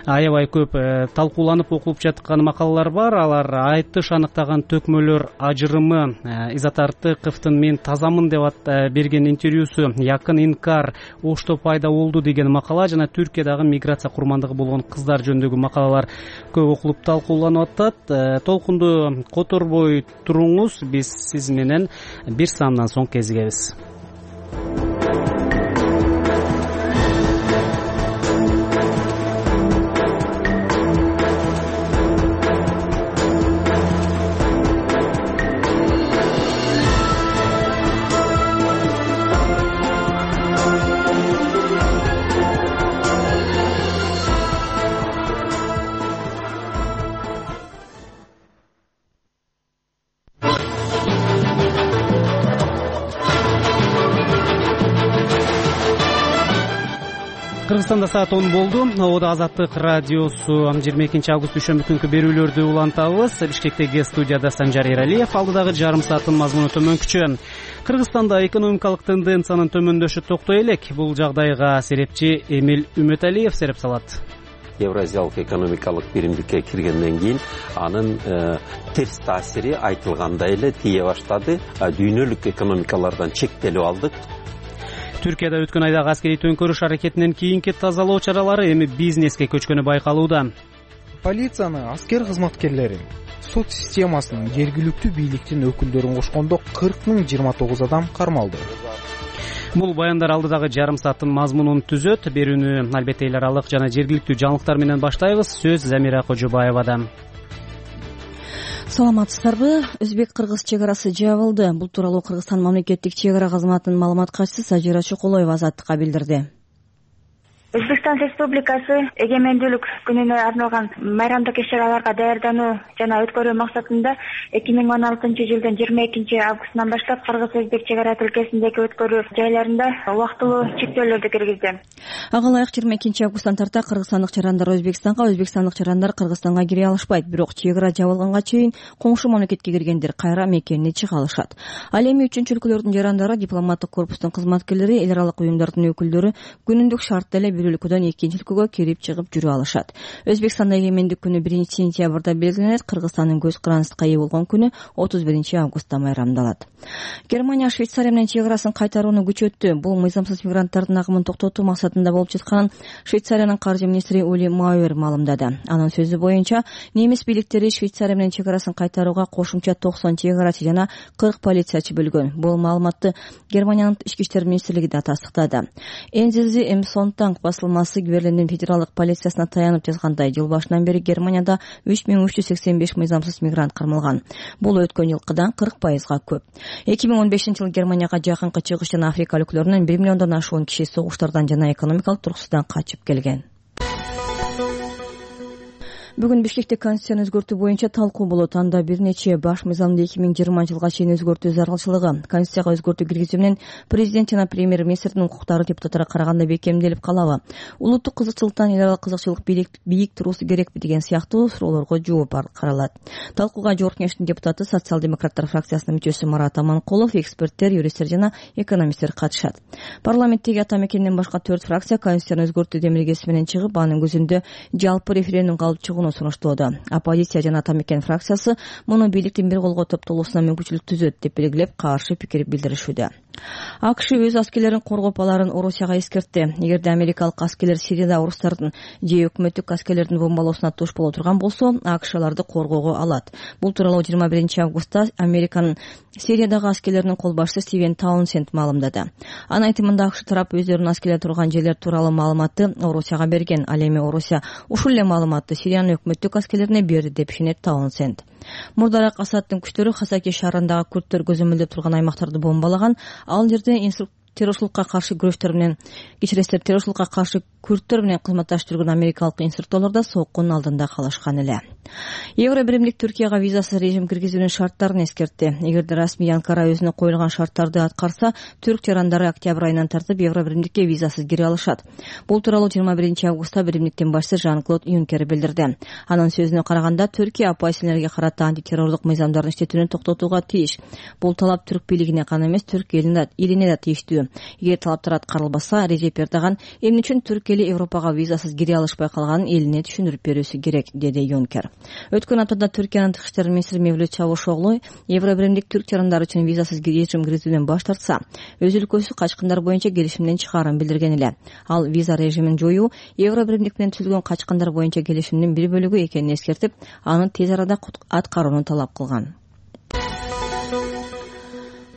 A: аябай көп талкууланып окулуп жаткан макалалар бар. Алар айтыш аныктаган төкмөлөр ажырымы, Изат Артыковдун мен тазамын деп берген интервьюсу, якын инкар Ошто пайда болду деген макала жана Түркиядагы миграция курмандыгы болгон кыздар жөнүндөгү макалалар көп окулуп талкууланып атат. Толкунду которбой туруңуз, биз сиз менен бир саамдан соң кезигебиз. Кыргызстанда саат он болду. Ободо Азаттык радиосу жыйырма экинчи август дүйшөмбү күнкү берүүлөрдү улантабыз. Бишкектеги студияда Санжар Эралиев. Алдыдагы жарым сааттын мазмуну төмөнкүчө. Кыргызстанда экономикалык тенденциянын төмөндөшү токтой элек. Бул жагдайга серепчи Эмил Үмөталиев сереп салат.
S: Евразиялык экономикалык биримдикке киргенден кийин анын терс таасири айтылгандай эле тие баштады. Дүйнөлүк экономикалардан чектелип алдык.
A: Түркияда өткөн айдагы аскерий төңкөрүш аракетинен кийинки тазалоо чаралары эми бизнеске көчкөнү байкалууда.
T: Полицияны, аскер кызматкерлери, сот системасынын, жергиликтүү бийликтин өкүлдөрүн кошкондо кырк миң жыйырма тогуз адам кармалды.
A: Бул баяндар алдыдагы жарым сааттын мазмунун түзөт. Берүүнү албетте эл аралык жана жергиликтүү жаңылыктар менен баштайбыз. Сөз Замира Кожобаевада.
E: Саламатсыздарбы? Өзбек-кыргыз чек арасы жабылды. Бул тууралуу Кыргызстан мамлекеттик чек ара кызматынын маалымат катчысы Сажира Чоколоева Азаттыкка билдирди.
F: Өзбекстан Республикасы эгемендүүлүк күнүнө арналган майрамдык иш-чараларга даярдануу жана өткөрүү максатында эки миң он алтынчы жылдын жыйырма экинчи августунан баштап кыргыз-өзбек чек ара тилкесиндеги өткөрүү жайларында убактылуу чектөөлөрдү киргизди.
E: Ага ылайык жыйырма экинчи августтан тарта кыргызстандык чарандар Өзбекстанга, өзбекстандык чарандар Кыргызстанга кире алышпайт. Бирок чек ара жабылганга чейин коңшу мамлекетке киргендер кайра мекенине чыга алышат. Ал эми үчүнчү өлкөлөрдүн жарандары, дипломаттык корпустун кызматкерлери, эл аралык уюмдардын өкүлдөрү күнүндүк шартта эле бир өлкөдөн экинчи өлкөгө кирип чыгып жүрө алышат. Өзбекстанда эгемендик күнү биринчи сентябрда белгиленет. Кыргызстандын көз карандысыкка ээ болгон күнү отуз биринчи августта майрамдалат. Германия Швейцария менен чек арасын кайтарууну күчөттү. Бул мыйзамсыз мигранттардын агымын токтотуу максатында болуп жатканын Швейцариянын каржы министри Ули Мауэр маалымдады. Анын сөзү боюнча, немис бийликтери Швейцария менен чек арасын кайтарууга кошумча токсон чек арачы жана кырк полициячы бөлгөн. Бул маалыматты Германиянын ички иштер министрлиги да тастыктады. Энзези Эмсонтанг басылмасы Берлиндин федералдык полициясына таянып жазгандай, жыл башынан бери Германияда үч миң үч жүз сексен беш мыйзамсыз мигрант кармалган. Бул өткөн жылкыдан кырк пайызга көп. эки миң он бешинчи жылы Германияга жакынкы чыгыш жана Африка өлкөлөрүнөн бир миллиондон ашуун киши согуштардан жана экономикалык тургусудан качып келген. Бүгүн Бишкекте конституцияны өзгөртүү боюнча талкуу болот. Анда бир нече баш мыйзамды эки миң жыйырма жылга чейин өзгөртүү зарылчылыгы, конституцияга өзгөртүү киргизүү менен президент жана премьер-министрдин укуктары депутаттарга караганда бекемделип калабы, улуттук кызыкчылыктан эл аралык кызыкчылык бийик туруусу керекпи деген сыяктуу суроолорго жооп каралат. Талкууга Жогорку Кеңештин депутаты, социал-демократтар фракциясынын мүчөсү Марат Аманкулов, эксперттер, юристтер жана экономисттер катышат. Парламенттеги ата мекенден башка төрт фракция конституцияны өзгөртүү демилгеси менен чыгып, анын көзүндө жалпы референдумга алып чыгууну сунуштоодо. Оппозиция жана ата мекен фракциясы муну бийликтин бир колго топтолуусуна мүмкүнчүлүк түзөт деп белгилеп, каршы пикир билдиришүүдө. АКШ өз аскерлерин коргоп аларын Орусияга эскертти. Эгерде америкалык аскерлер Сирияда орустардын же өкмөттүк аскерлердин бомбалоосуна туш боло турган болсо, АКШ аларды коргоого алат. Бул тууралуу жыйырма биринчи августта Американын Сириядагы аскерлеринин кол башчысы Стивен Таунсенд маалымдады. Анын айтымында АКШ тарап өздөрүнүн аскерлери турган жерлер тууралуу маалыматты Орусияга берген. Ал эми Орусия ушул эле маалыматты Сириянын өкмөттүк аскерлерине берди деп ишенет Таунсенд. Мурдараак Асадтын күчтөрү Хасаки шаарындагы күрттөр көзөмөлдөп турган аймактарды бомбалаган. Ал жерде террорчулукка каршы күрөштөр менен кечиресиздер террорчулукка каршы күрттөр менен кызматташып жүргөн америкалык инструкторлор да соккунун алдында калышкан эле. Евро биримдик Түркияга визасыз режим киргизүүнүн шарттарын эскертти. Эгерде расмий Анкара өзүнө коюлган шарттарды аткарса, түрк жарандары октябрь айынан тартып Евро биримдикке визасыз кире алышат. Бул тууралуу жыйырма биринчи августта биримдиктин башчысы Жан-Клод Юнкер билдирди. Анын сөзүнө караганда, Түркия оппозицияларга карата антитеррорлук мыйзамдарын иштетүүнү токтотууга тийиш. Бул талап түрк бийлигине гана эмес, түрк элине да тийиштүү. Эгер талаптар аткарылбаса, Режеп Эрдоган эмне үчүн түрк эли Европага визасыз кире алышпай калганын элине түшүндүрүп берүүсү керек, деди Юнкер. Өткөн аптада Түркиянын тышкы иштер министри Мевлют Чавушоглу Евро биримдик түрк жарандары үчүн визасыз режим киргизүүдөн баш тартса, өз өлкөсү качкындар боюнча келишимден чыгаарын билдирген эле. Ал виза режимин жоюу Евро биримдик менен түзүлгөн качкындар боюнча келишимдин бир бөлүгү экенин эскертип, аны тез арада аткарууну талап кылган.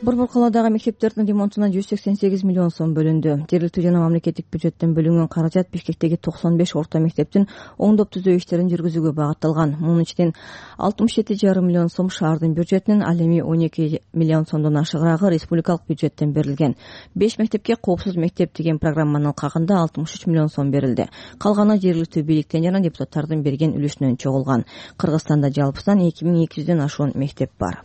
E: Борбор калаадагы мектептердин ремонтуна жүз сексен сегиз миллион сом бөлүндү. Жергиликтүү жана мамлекеттик бюджеттен бөлүнгөн каражат Бишкектеги токсон беш орто мектептин оңдоп түзөө иштерин жүргүзүүгө багытталган. Мунун ичинен алтымыш жети жарым миллион сом шаардын бюджетинен, ал эми он эки миллион сомдон ашыгыраагы республикалык бюджеттен берилген. беш мектепке коопсуз мектеп деген программанын алкагында алтымыш үч миллион сом берилди. Калганы жергиликтүү бийликтен жана депутаттардын берген үлүшүнөн чогулган. Кыргызстанда жалпысынан эки миң эки жүздөн ашуун мектеп бар.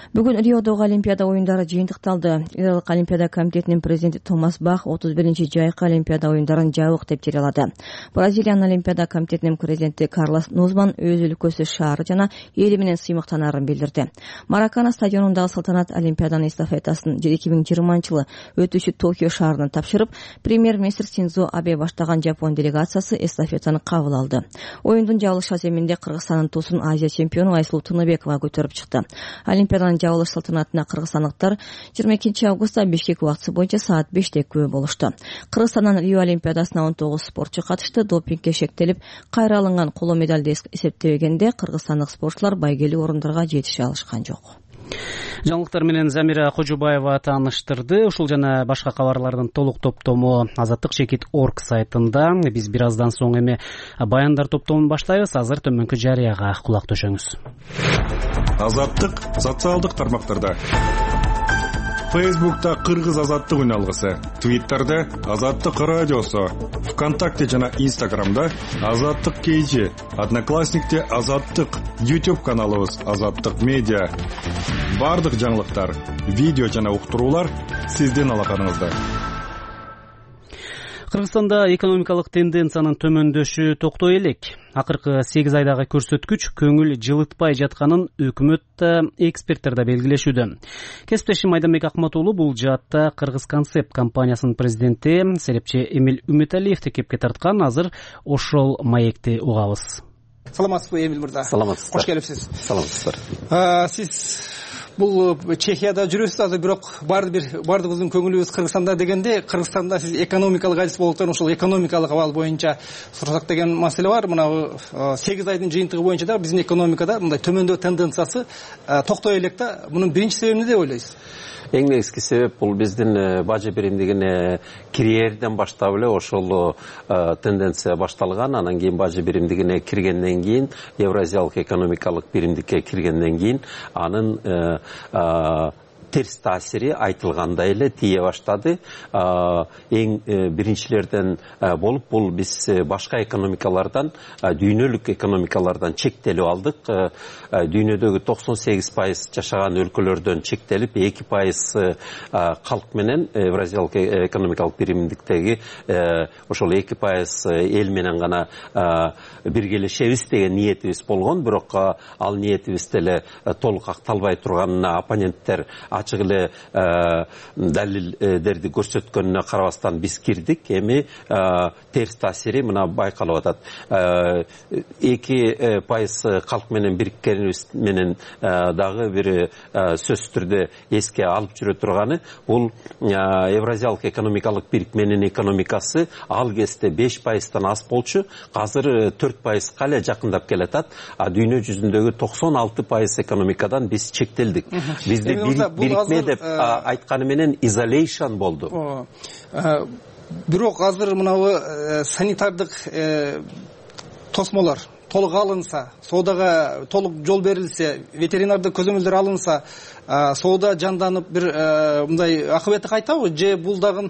E: Бүгүн Риодогу Олимпиада оюндары жыйынтыкталды. Ирак Олимпиада комитетинин президенти Томас Бах отуз биринчи жайкы Олимпиада оюндарын жабык деп жарыялады. Бразилиянын Олимпиада комитетинин президенти Карлос Нузман өз өлкөсү шаары жана эли менен сыймыктанаарын билдирди. Маракана стадионундагы салтанат Олимпиаданын эстафетасын эки миң жыйырманчы жылы өтүүчү Токио шаарына тапшырып, премьер-министр Синдзо Абе баштаган Жапон делегациясы эстафетаны кабыл алды. Оюндун жабылыш аземинде Кыргызстандын туусун Азия чемпиону Айсулуу Тыныбекова көтөрүп чыкты. Олимпиаданын жабылыш салтанатына кыргызстандыктар жыйырма экинчи августта Бишкек убактысы боюнча саат беште күбө болушту. Кыргызстандан Рио Олимпиадасына он тогуз спортчу катышты. Допингге шектелип, кайра алынган коло медалды эсептебегенде кыргызстандык спортчулар байгелүү орундарга жетише алышкан жок.
A: Жаңылыктар менен Замира Кожубаева тааныштырды. Ушул жана башка кабарлардын толук топтому азаттык чекит точка орг сайтында. Биз бир аздан соң эми баяндар топтомун баштайбыз. Азыр төмөнкү жарыяга кулак төшөңүз.
L: Азаттык социалдык тармактарда. Фейсбукта Кыргыз азаттык үналгысы, Твиттерде Азаттык радиосу, ВКонтакте жана Инстаграмда Азаттык кейжи, Одноклассникте Азаттык, YouTube каналыбыз Азаттык медиа. Бардык жаңылыктар, видео жана уктуруулар сиздин алаканыңызда.
A: Кыргызстанда экономикалык тенденциянын төмөндөшү токтой элек. Акыркы сегиз айдагы көрсөткүч көңүл жылытпай жатканын өкмөт эксперттер да белгилешүүдө. Кесиптешим Айданбек Акматуулу бул жаатта Кыргыз Концепт компаниясынын президенти Серепчи Эмил Үмүталиевди кепке тарткан. Азыр ошол маекти угабыз.
U: Саламатсызбы, Эмил мырза?
S: Саламатсыздар.
U: Кош келипсиз.
S: Саламатсыздар.
U: Сиз бул Чехияда жүрөсүз, азыр бирок баары бир бардыгыбыздын көңүлүбүз Кыргызстанда дегенде, Кыргызстанда сиз экономикалык адис болуптан ошол экономикалык абал боюнча сурасак деген маселе бар. Мына сегиз айдын жыйынтыгы боюнча да биздин экономикада мындай төмөндөө тенденциясы токтой элек да. Мунун биринчи себеби эмне деп ойлойсуз?
S: Эң негизги себеп бул биздин бажы биримдигине кирерден баштап эле ошол тенденция башталган. Анан кийин бажы биримдигине киргенден кийин, Евразиялык экономикалык биримдикке киргенден кийин анын терс таасири айтылгандай эле тие баштады. Эң биринчилерден болуп бул биз башка экономикалардан, дүйнөлүк экономикалардан чектелип алдык. Дүйнөдөгү токсон сегиз пайыз жашаган өлкөлөрдөн чектелип, эки пайыз калк менен Евразиялык экономикалык биримдиктеги ошол эки пайыз эл менен гана биргелешебиз деген ниетибиз болгон. Бирок ал ниетибиз деле толук акталбай турганына оппоненттер ачык эле далилдерди көрсөткөнүнө карабастан биз кирдик. Эми терс таасири мына байкалып атат. эки пайыз калк менен бириккенибиз менен дагы бир сөзсүз түрдө эске алып жүрө турганы бул Евразиялык экономикалык бирикменин экономикасы ал кезде беш пайыздан аз болчу, азыр төрт пайызга эле жакындап келатат. А дүйнө жүзүндөгү токсон алты пайыз экономикадан биз чектелдик. Бизде бирикме деп айтканы менен изолейшн болду.
U: Бирок азыр мынабы санитардык тосмолор, толук алынса, соодага толук жол берилсе, ветеринардык көзөмөлдөр алынса, соода жанданып бир мындай акыбети кайтабы же бул дагы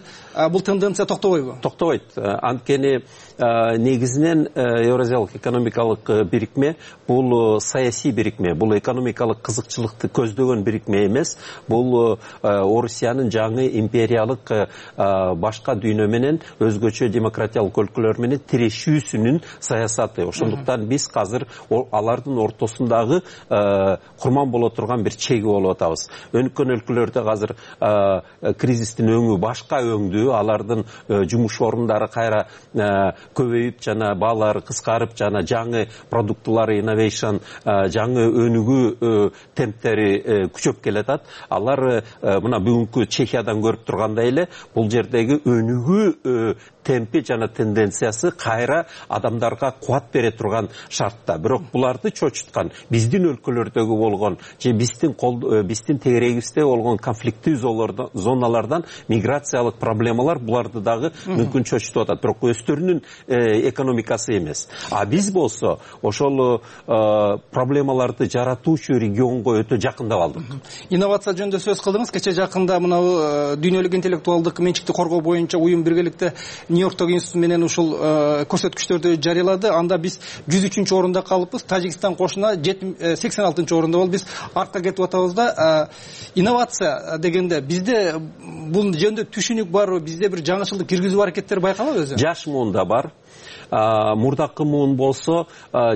U: бул тенденция токтобойбу?
S: Токтобойт. Анткени негизинен Евразиялык экономикалык бирикме бул саясий бирикме, бул экономикалык кызыкчылыкты көздөгөн бирикме эмес. Бул Орусиянын жаңы империялык башка дүйнө менен өзгөчө демократиялык өлкөлөр менен тирешүүсүнүн саясаты. Ошондуктан биз азыр алардын ортосундагы курман боло турган бир чеги болуп атабыз. Өнүккөн өлкөлөрдө азыр кризистин өңү башка өңдү, алардын жумуш орундары кайра көбөйүп жана баалары кыскарып жана жаңы продуктулары innovation жаңы өнүгүү темптери күчөп келатат. Алар мына бүгүнкү Чехиядан көрүп тургандай эле бул жердеги өнүгүү темпи жана тенденциясы кайра адамдарга кубат бере турган шартта. Бирок буларды чочуткан биздин өлкөлөрдөгү болгон же биздин биздин тегерегибизде болгон конфликттүү зоналардан миграциялык проблемалар буларды дагы мүмкүн чочутуп атат. Бирок өздөрүнүн экономикасы эмес. А биз болсо ошол проблемаларды жаратуучу регионго өтө жакындап алдык.
U: Инновация жөнүндө сөз кылдыңыз. Кече жакында мына дүйнөлүк интеллектуалдык менчикти коргоо боюнча уюм биргеликте Нью-Йорктогу институт менен ушул көрсөткүчтөрдү жарыялады. Анда биз жүз үчүнчү орунда калыппыз. Тажикстан кошуна сексен алтынчы орунда болуп биз артка кетип атабыз да. Инновация дегенде бизде бул жөнүндө түшүнүк барбы? Бизде бир жаңычылдык киргизүү аракеттери байкалабы өзү?
S: Жаш муунда бар. Мурдакы муун болсо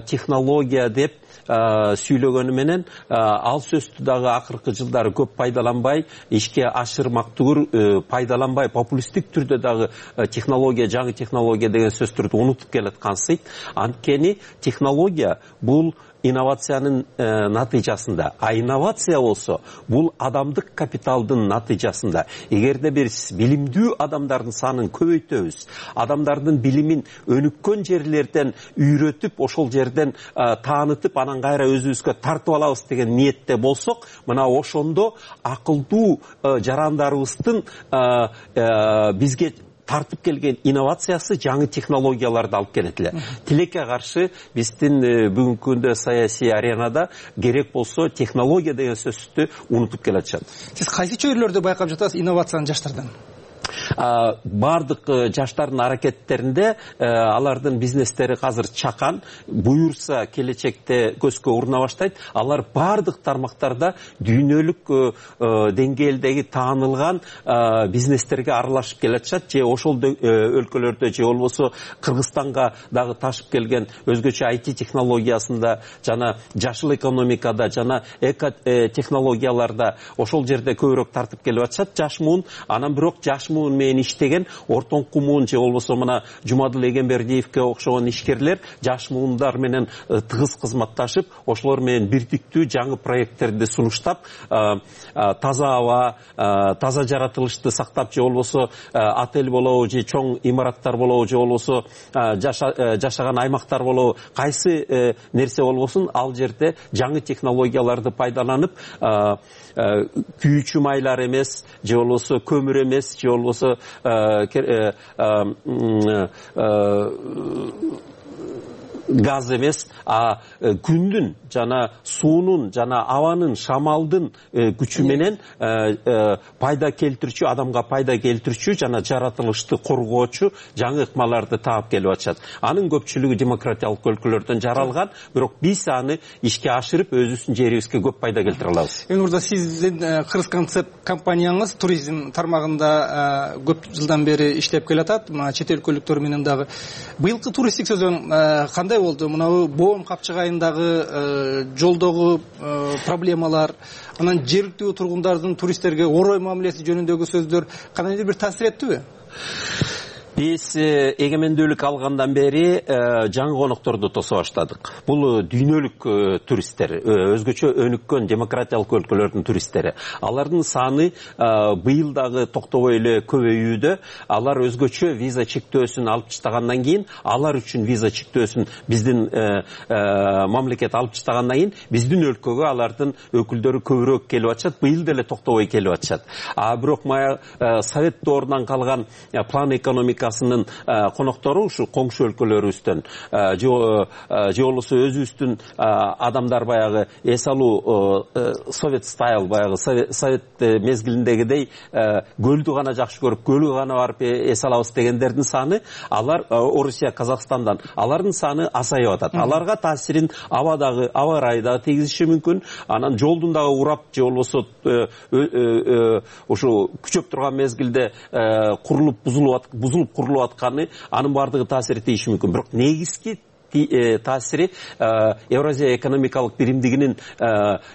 S: технология деп сүйлөгөнү менен ал сөздү дагы акыркы жылдары көп пайдаланбай, ишке ашырмактуу пайдаланбай, популисттик түрдө дагы технология, жаңы технология деген сөздөрдү унутуп келаткансыйт. Анткени технология бул инновациянын натыйжасында, а инновация болсо бул адамдык капиталдын натыйжасында. Эгерде биз билимдүү адамдардын санын көбөйтөбүз, адамдардын билимин өнүккөн жерлерден үйрөтүп, ошол жерден таанытып, анан кайра өзүбүзгө тартып алабыз деген ниетте болсок, мына ошондо акылдуу жарандарыбыздын бизге тартып келген инновациясы жаңы технологияларды алып келет эле. Тилекке каршы биздин бүгүнкү күндө саясий аренада керек болсо технология деген сөздү унутуп келатышат.
U: Сиз кайсы чөйрөлөрдө байкап жатасыз инновацияны жаштардан?
S: Бардык жаштардын аракеттеринде алардын бизнестери азыр чакан, буюрса келечекте көзгө уруна баштайт. Алар бардык тармактарда дүйнөлүк деңгээлдеги таанылган бизнестерге аралашып келатышат. Же ошол өлкөлөрдө же болбосо Кыргызстанга дагы ташып келген өзгөчө ай ти технологиясында жана жашыл экономикада жана эко технологияларда ошол жерде көбүрөөк тартып келип атышат жаш муун. Анан бирок жаш муун менен иштеген ортоңку муун же болбосо мына Жумадыл Эгембердиевке окшогон ишкерлер жаш муундар менен тыгыз кызматташып, ошолор менен бирдиктүү жаңы проекттерди сунуштап, таза аба, таза жаратылышты сактап, же болбосо отель болобу, же чоң имараттар болобу, же болбосо жашаган аймактар болобу, кайсы нерсе болбосун ал жерде жаңы технологияларды пайдаланып, күйүүчү майлар эмес, же болбосо көмүр эмес, же болбосо газ эмес, а күндүн жана суунун жана абанын, шамалдын күчү менен пайда келтирүүчү, адамга пайда келтирүүчү жана жаратылышты коргоочу жаңы ыкмаларды таап келип атышат. Анын көпчүлүгү демократиялык өлкөлөрдөн жаралган, бирок биз аны ишке ашырып өзүбүздүн жерибизге көп пайда келтире алабыз.
U: Эми мурда сиздин Кыргыз концепт компанияңыз туризм тармагында көп жылдан бери иштеп келатат, чет өлкөлүктөр менен дагы. Быйылкы туристтик сезон кандай болду? Мына Боом капчыгайындагы жолдогу проблемалар, анан жергиликтүү тургундардын туристтерге орой мамилеси жөнүндөгү сөздөр кандайдыр бир таасир эттиби?
S: Биз эгемендүүлүк алгандан бери жаңы конокторду тосо баштадык. Бул дүйнөлүк туристтер, өзгөчө өнүккөн демократиялык өлкөлөрдүн туристтери. Алардын саны быйыл дагы токтобой эле көбөйүүдө. Алар өзгөчө виза чектөөсүн алып таштагандан кийин, алар үчүн виза чектөөсүн биздин мамлекет алып таштагандан кийин, биздин өлкөгө алардын өкүлдөрү көбүрөөк келип атышат. Быйыл деле токтобой келип атышат. А бирок мая совет доорунан калган план экономика республикасынын коноктору ушу коңшу өлкөлөрүбүздөн же болбосо өзүбүздүн адамдар баягы эс алуу совет стайл баягы совет мезгилиндегидей көлдү гана жакшы көрүп көлгө гана барып эс алабыз дегендердин саны алар Орусия, Казакстандан алардын саны азайып атат. Аларга таасирин абадагы аба ырайы дагы тийгизиши мүмкүн. Анан жолдун дагы урап же болбосо ушу күчөп турган мезгилде курулуп бузулуп бузулуп курулуп атканы анын баардыгы таасир тийиши мүмкүн. Бирок негизги таасири Евразия экономикалык биримдигинин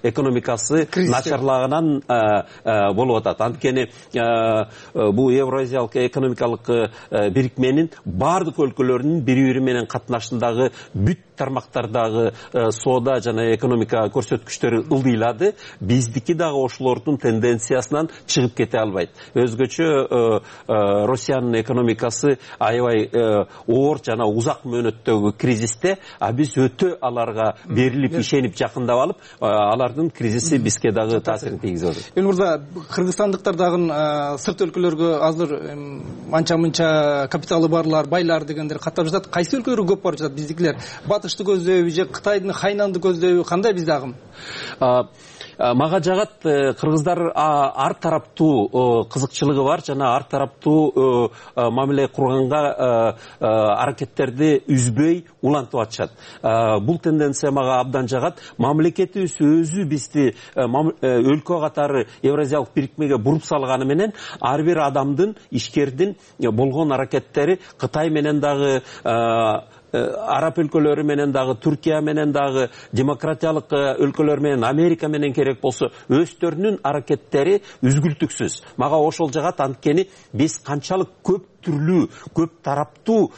S: экономикасы начарлагынан болуп атат. Анткени бул Евразиялык экономикалык бирикменин баардык өлкөлөрүнүн бири бири менен катнашындагы бүт тармактардагы соода жана экономика көрсөткүчтөрү ылдыйлады. Биздики дагы ошолордун тенденциясынан чыгып кете албайт. Өзгөчө Россиянын экономикасы аябай оор жана узак мөөнөттөгү кризис а биз өтө аларга берилип ишенип жакындап алып, алардын кризиси бизге дагы таасирин тийгизип атат.
U: Эл мырза, кыргызстандыктар дагы сырт өлкөлөргө азыр анча-мынча капиталы барлар, байлар дегендер каттап жатат. Кайсы өлкөлөргө көп барып жатат биздикилер? Батышты көздөйбү же Кытайдын Хайнанды көздөйбү? Кандай бизде агым?
S: Мага жагат кыргыздар ар тараптуу кызыкчылыгы бар жана ар тараптуу мамиле курганга аракеттерди үзбөй улантып атышат. Бул тенденция мага абдан жагат. Мамлекетибиз өзү бизди өлкө катары Евразиялык бирикмеге буруп салганы менен ар бир адамдын, ишкердин болгон аракеттери Кытай менен дагы араб өлкөлөрү менен дагы, Түркия менен дагы, демократиялык өлкөлөр менен, Америка менен керек болсо өздөрүнүн аракеттери үзгүлтүксүз. Мага ошол жагат, анткени биз канчалык көп түрлүү, көп тараптуу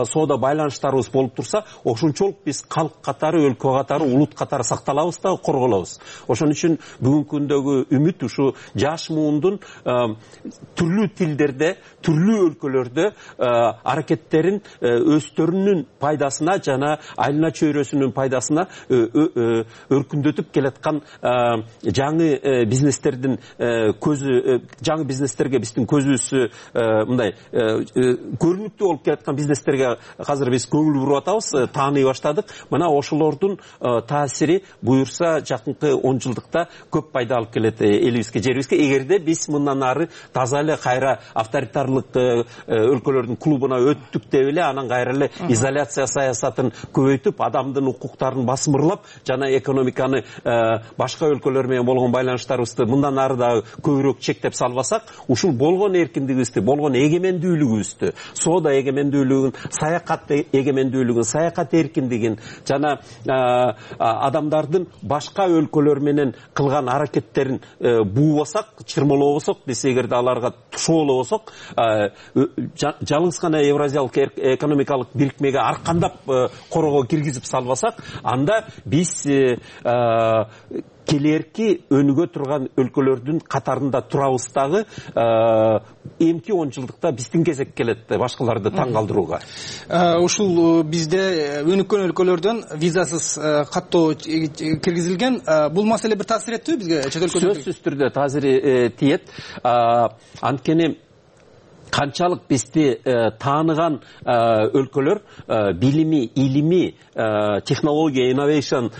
S: соода байланыштарыбыз болуп турса, ошончолук биз калк катары, өлкө катары, улут катары сакталабыз да, корголобуз. Ошон үчүн бүгүнкү күндөгү үмүт ушу жаш муундун түрлүү тилдерде, түрлүү өлкөлөрдө аракеттерин өздөрүнүн пайдасына жана айылына чөйрөсүнүн пайдасына өркүндөтүп келаткан жаңы бизнестердин көзү, жаңы бизнестерге биздин көзүбүз мындай көрүнүктүү болуп келаткан бизнестерге азыр биз көңүл буруп атабыз, тааный баштадык. Мына ошолордун таасири буюрса жакынкы он жылдыкта көп пайда алып келет элибизге, жерибизге. Эгерде биз мындан ары таза эле кайра авторитарлык өлкөлөрдүн клубуна өттүк деп эле, анан кайра эле изоляция саясатын көбөйтүп, адамдын укуктарын басмырлап жана экономиканы башка өлкөлөр менен болгон байланыштарыбызды мындан ары дагы көбүрөөк чектеп салбасак, ушул болгон эркиндигибизди, болгон эгемендүүлүгүбүздү, соода эгемендүүлүгүн, саякат эгемендүүлүгүн, саякат эркиндигин жана адамдардын башка өлкөлөр менен кылган аракеттерин буубасак, чырмалообосок, биз эгерде аларга тушоолобосок, жалгыз гана Евразиялык экономикалык бирикмеге аркандап корого киргизип салбасак, анда биз келерки өнүгө турган өлкөлөрдүн катарында турабыз дагы, эмки он жылдыкта биздин кезек келет башкаларды таң калтырууга.
U: Ушул бизде өнүккөн өлкөлөрдөн визасыз каттоо киргизилген. Бул маселе бир таасир эттиби бизге, чет өлкөлөргө? Сөзсүз
S: түрдө таасир тиет. Анткени канчалык бизди тааныган өлкөлөр, билими, илими, технология, инновейшн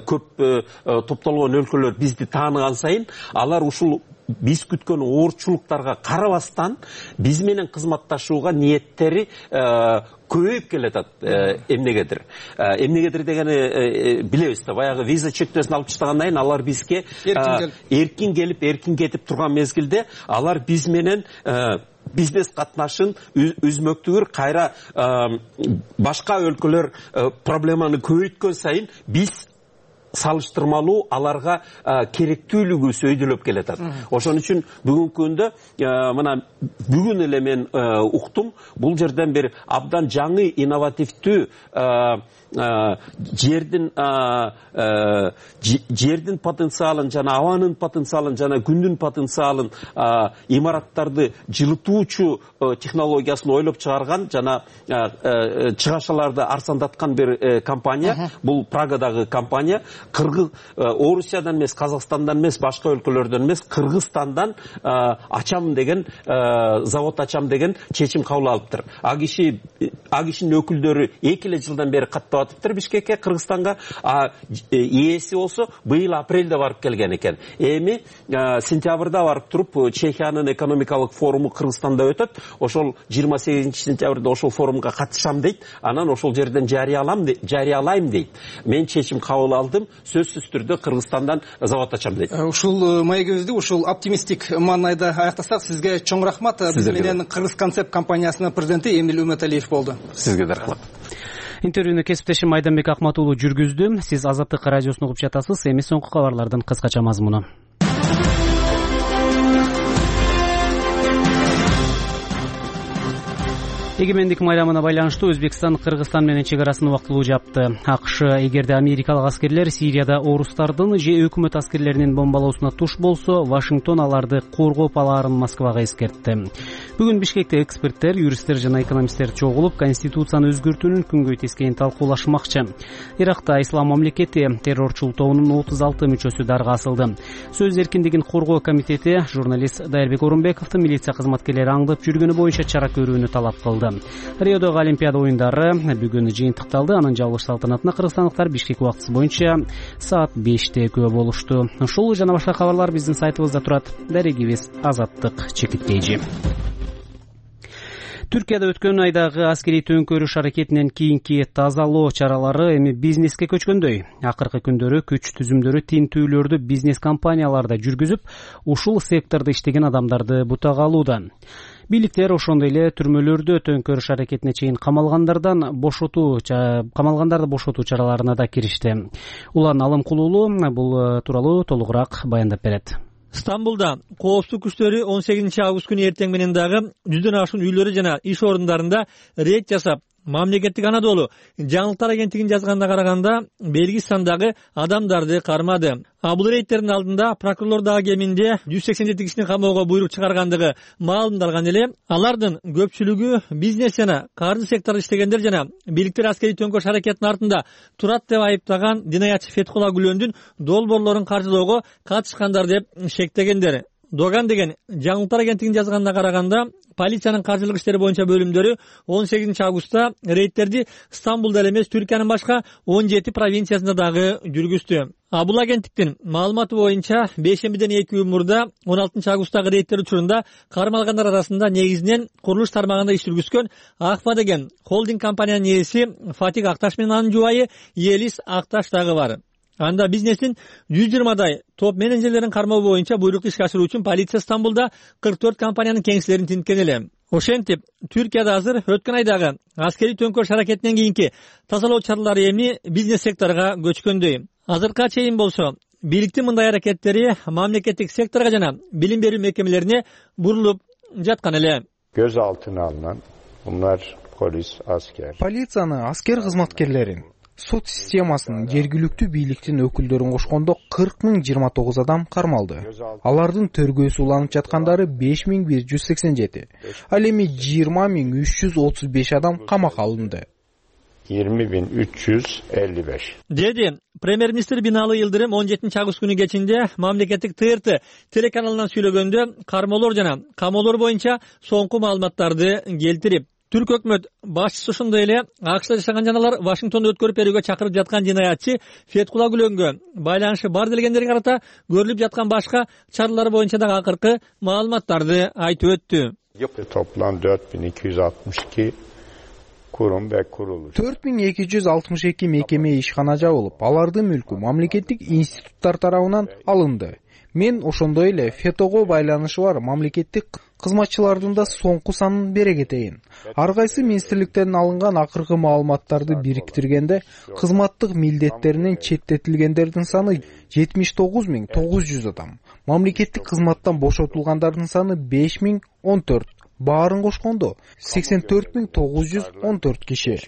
S: көп топтолгон өлкөлөр бизди тааныган сайын, алар ушул биз күткөн оорчулуктарга карабастан биз менен кызматташууга ниеттери көбөйүп келатат. Эмнегедир? Эмнегедир дегени билебиз да, баягы виза чектөөсүн алып таштагандан кийин алар бизге эркин келип, эркин кетип турган мезгилде, алар биз менен бизнес катнашын үзмөктүгүр, кайра башка өлкөлөр проблеманы көбөйткөн сайын биз салыштырмалуу аларга керектүүлүгү сөйдөлөп келатат. Ошон үчүн бүгүнкү күндө мына бүгүн эле мен уктум, бул жерден бир абдан жаңы инновативдүү жердин жердин потенциалын жана абанын потенциалын жана күндүн потенциалын, имараттарды жылытуучу технологиясын ойлоп чыгарган жана чыгашаларды арзандаткан бир компания. Бул Прагадагы компания. кыргыз Орусиядан эмес, Казакстандан эмес, башка өлкөлөрдөн эмес, Кыргызстандан ачам деген завод ачам деген чечим кабыл алыптыр. А киши а кишинин өкүлдөрү эки эле жылдан бери каттап атыптыр Бишкекке, Кыргызстанга. А ээси болсо быйыл апрелде барып келген экен. Эми сентябрда барып туруп Чехиянын экономикалык форуму Кыргызстанда өтөт. Ошол жыйырма сегизинчи сентябрда ошол форумга катышам дейт. Анан ошол жерден жарыялам жарыялайм дейт. Мен чечим кабыл алдым, сөзсүз түрдө Кыргызстандан завод ачам дейт.
U: Ушул маегибизди ушул оптимистик маанайда аяктасак, сизге чоң рахмат. Биз менен Кыргыз концепт компаниясынын президенти Эмил Үмөталиев болду.
S: Сизге да рахмат.
A: Интервьюну кесиптешим Айданбек Акмат уулу жүргүздү. Сиз Азаттык радиосун угуп жатасыз. Эми соңку кабарлардын кыскача мазмуну. Эгемендик майрамына байланыштуу Өзбекстан Кыргызстан менен чек арасын убактылуу жапты. АКШ эгерде америкалык аскерлер Сирияда орустардын же өкмөт аскерлеринин бомбалоосуна туш болсо, Вашингтон аларды коргоп алаарын Москвага эскертти. Бүгүн Бишкекте эксперттер, юристтер жана экономисттер чогулуп, конституцияны өзгөртүүнүн күнгөй тескейин талкуулашмакчы. Иракта Ислам мамлекети террорчул тобунун отуз алты мүчөсү дарга асылды. Сөз эркиндигин коргоо комитети журналист Дайырбек Орунбековду милиция кызматкерлери аңдып жүргөнү боюнча чара көрүүнү талап кылды. Риодогу Олимпиада оюндары бүгүн жыйынтыкталды. Анын жабылыш салтанатына кыргызстандыктар Бишкек убактысы боюнча саат беште күбө болушту. Ушул жана башка кабарлар биздин сайтыбызда турат. Дарегибиз Азаттык чекиткейжи. Түркияда өткөн айдагы аскерий төңкөрүш аракетинен кийинки тазалоо чаралары эми бизнеске көчкөндөй. Акыркы күндөрү күч түзүмдөрү тинтүүлөрдү бизнес компанияларда жүргүзүп, ушул сектордо иштеген адамдарды бутага алууда. Бийликтер ошондой эле түрмөлөрдө төңкөрүш аракетине чейин камалгандардан бошотуу камалгандарды бошотуу чараларына да киришти. Улан Алымкулуулу бул тууралуу толугураак баяндап берет.
H: Стамбулда коопсуздук күчтөрү он сегизинчи август күнү эртең менен дагы жүздөн ашуун үйлөрү жана иш орундарында рейд жасап, Мамлекеттик Анадолу жаңылыктар агенттигин жазганына караганда белги сандагы адамдарды кармады. А бул рейдтердин алдында прокурорлор дагы кеминде жүз сексен жети кишини камоого буйрук чыгаргандыгы маалымдалган эле. Алардын көпчүлүгү бизнес жана каржы секторунда иштегендер жана бийликтер аскерий төңкөрүш аракетинин артында турат деп айыптаган динаятчы Фетхулла Гүлөндүн долбоорлорун каржылоого катышкандар деп шектегендер. Доган деген жаңылыктар агенттигинин жазганына караганда полициянын каржылык иштери боюнча бөлүмдөрү он сегизинчи августта рейдтерди Стамбулда эле эмес, Түркиянын башка он жети провинциясында дагы жүргүздү. А бул агенттиктин маалыматы боюнча бейшембиден эки күн мурда он алтынчы августтагы рейдтер учурунда кармалгандар арасында негизинен курулуш тармагында иш жүргүзгөн Акфа деген холдинг компаниянын ээси Фатик Акташ менен анын жубайы Елис Акташ дагы бар. Анда бизнестин жүз жыйырмадай топ менеджерлерин кармоо боюнча буйрукту ишке ашыруу үчүн полиция Стамбулда кырк төрт компаниянын кеңселерин тинткен эле. Ошентип, Түркияда азыр өткөн айдагы аскерий төңкөрүш аракетинен кийинки тазалоо чаралары эми бизнес секторго көчкөндөй. Азыркыга чейин болсо, бийликтин мындай аракеттери мамлекеттик секторго жана билим берүү мекемелерине бурулуп жаткан эле.
G: Göz altına alınan bunlar polis, asker.
T: Полицияны, аскер кызматкерлерин, сот системасынын, жергиликтүү бийликтин өкүлдөрүн кошкондо кырк миң жыйырма тогуз адам кармалды. Алардын төргөөсү уланып жаткандары беш миң бир жүз сексен жети. Ал эми жыйырма миң үч жүз отуз беш адам камакка алынды.
G: yirmi bin üç yüz elli beş.
H: Деди премьер-министр Биналы Йылдырым он жетинчи август күнү кечинде мамлекеттик Т Р Т телеканалынан сүйлөгөндө кармоолор жана камоолор боюнча соңку маалыматтарды келтирип, Түрк өкмөт башчысы ошондой эле АКШда жашаган жаналар Вашингтондо өткөрүп берүүгө чакырып жаткан жинаятчы Фетхулла Гүлөнгө байланышы бар делгендерге карата көрүлүп жаткан башка чаралар боюнча дагы акыркы маалыматтарды айтып өттү.
G: Toplam dört bin iki yüz altmış iki kurum ve kuruluş.
T: төрт миң эки жүз алтымыш эки мекеме ишкана жабылып, алардын мүлкү мамлекеттик институттар тарабынан алынды. Мен ошондой эле фетого байланышы бар мамлекеттик кызматчылардын да соңку санын бере кетейин. Ар кайсы министрликтерден алынган акыркы маалыматтарды бириктиргенде кызматтык милдеттеринен четтетилгендердин саны жетимиш тогуз миң тогуз жүз адам. Мамлекеттик кызматтан бошотулгандардын саны беш миң он төрт. Баарын кошкондо сексен төрт миң тогуз жүз он төрт киши.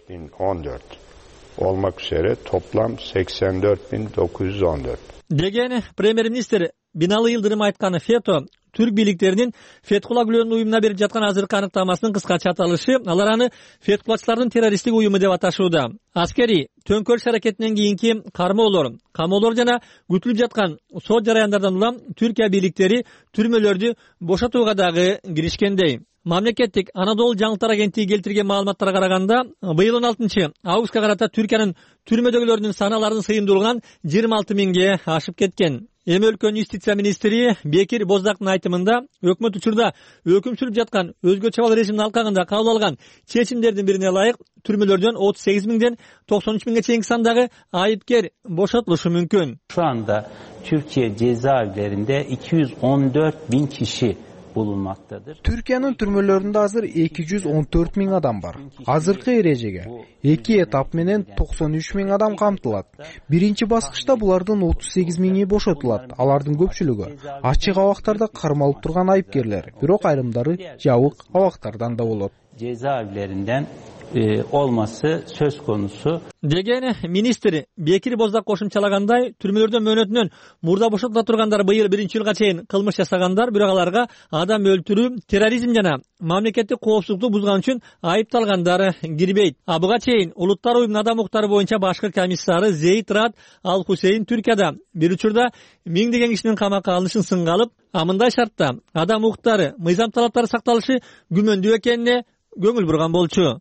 G: Olmak üzere toplam seksen dört bin dokuz yüz on dört.
H: Деген премьер-министр Биналы Йылдырым айтканы, Фето түрк бийликтеринин Фетхулла Гүлөнүн уюмуна берип жаткан азыркы аныктамасынын кыскача аталышы, алар аны фетхуллачылардын террористтик уюму деп аташууда. Аскерий төңкөрүш аракетинен кийинки кармоолор, камоолор жана күтүлүп жаткан сот жараяндардан улам Түркия бийликтери түрмөлөрдү бошотууга дагы киришкендей. Мамлекеттик Анадолу жаңылыктар агенттиги келтирген маалыматтарга караганда, быйыл он алтынчы августка карата Түркиянын түрмөдөгүлөрүнүн саны алардын сыйымдуулугунан жыйырма алты миңге ашып кеткен. Эми өлкөнүн юстиция министри Бекир Боздактын айтымында, өкмөт учурда өкүм сүрүп жаткан өзгөчө абал режимдин алкагында кабыл алган чечимдердин бирине ылайык түрмөлөрдөн отуз сегиз миңден токсон үч миңге чейинки сандагы айыпкер бошотулушу мүмкүн.
I: Şu anda Türkiye cezaevlerinde iki yüz on dört bin kişi bulunmaktadır.
T: Türkiyanın türmölөрүндө азыр эки жүз он төрт миң адам бар. Азыркы эрежеге эки этап менен токсон үч миң адам камтылат. Биринчи баскычта булардын отуз сегиз миңи бошотулат. Алардын көпчүлүгү ачык абактарда кармалып турган айыпкерлер, бирок айрымдары жабык абактардан да болот.
I: Cezaevlerinden e, olması söz konusu.
H: Деген министр Бекир Боздак кошумчалагандай, түрмөлөрдөн мөөнөтүнөн мурда бошотула тургандар быйыл биринчи жылга чейин кылмыш жасагандар, бирок аларга адам өлтүрүү, терроризм жана мамлекеттик коопсуздукту бузган үчүн айыпталгандар кирбейт. А буга чейин Улуттар уюмунун адам укуктары боюнча башкы комиссары Зейд Рад Ал Хусейн Түркияда бир учурда миңдеген кишинин камакка алынышын сынга алып, а мындай шартта адам укуктары, мыйзам талаптары сакталышы күмөндүү экенине көңүл бурган болчу.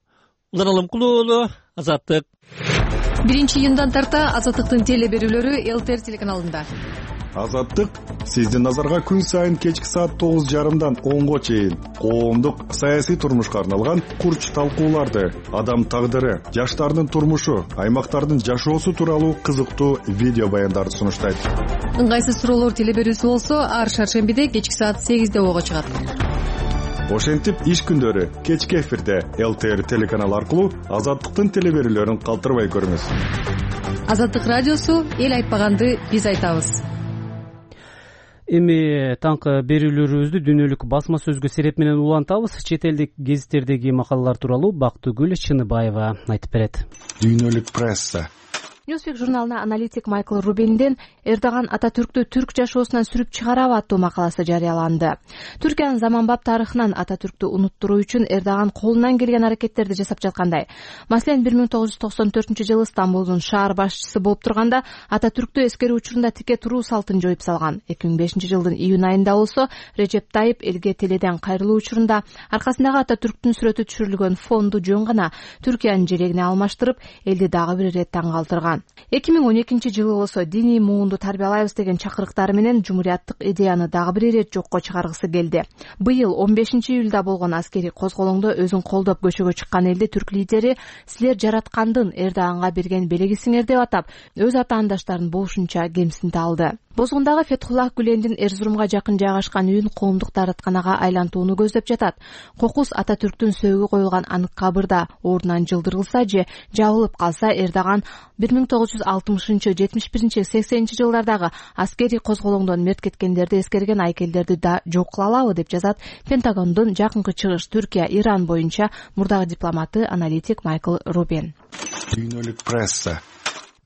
H: Улан Алымкулуу уулу, Азаттык.
V: Биринчи июндан тарта Азаттыктын теле берүүлөрү ЛТР телеканалында.
L: Азаттык сиздин назарга күн сайын кечки саат тогуз жарымдан онго чейин коомдук саясий турмушка арналган курч талкууларды, адам тагдыры, жаштардын турмушу, аймактардын жашоосу тууралуу кызыктуу видео баяндарды сунуштайт.
V: Ыңгайсыз суроолор теле берүүсү болсо, ар шаршембиде кечки саат сегизде ого чыгат.
L: Ошентип иш күндөрү кечки эфирде ЛТР телеканалы аркылуу Азаттыктын теле берүүлөрүн калтырбай көрүңүз.
V: Азаттык радиосу эл айтпаганды биз айтабыз.
A: Эми таңкы берүүлөрүбүздү дүйнөлүк басма сөзгө сереп менен улантабыз. Чет элдик гезиттердеги макалалар тууралуу Бактыгүл Чыныбаева айтып берет.
L: Дүйнөлүк пресса.
V: Newsweek журналына аналитик Майкл Рубиндин Эрдоган Ататүрктү түрк жашоосунан сүрүп чыгарабы аттуу макаласы жарыяланды. Түркиянын заманбап тарыхынан Ататүрктү унуттуруу үчүн Эрдоган колунан келген аракеттерди жасап жаткандай. Маселен, бир миң тогуз жүз токсон төртүнчү жылы Стамбулдун шаар башчысы болуп турганда Ататүрктү эскерүү учурунда тике туруу салтын жоюп салган. эки миң бешинчи жылдын июнь айында болсо Режеп Тайып элге теледен кайрылуу учурунда аркасындагы Ататүрктүн сүрөтү түшүрүлгөн фонду жөн гана Түркиянын желегине алмаштырып, элди дагы бир ирет таң калтырган. эки миң он экинчи жылы болсо диний муунду тарбиялайбыз деген чакырыктары менен жумурияттык идеяны дагы бир ирет жокко чыгаргысы келди. Быйыл он бешинчи июлда болгон аскерий козголоңдо өзүн колдоп көчөгө чыккан элди түрк лидери силер жараткандын Эрдоганга берген белегисиңер деп атап, өз атаандаштарын болушунча кемсинте алды. Бозгундагы Фетхуллах Гүлендин Эрзурумга жакын жайгашкан үйүн коомдук дааратканага айлантууну көздөп жатат. Кокус Ататүрктүн сөөгү коюлган анык кабырда ордунан жылдырылса же жабылып калса, Эрдоган бир миң тогуз жүз алтымышынчы, жетимиш биринчи, сексенинчи жылдардагы аскерий козголоңдон мерт кеткендерди эскерген айкелдерди да жок кыла алабы деп жазат Пентагондун жакынкы чыгыш Түркия, Иран боюнча мурдагы дипломаты, аналитик Майкл Рубин.
L: Дүйнөлүк пресса.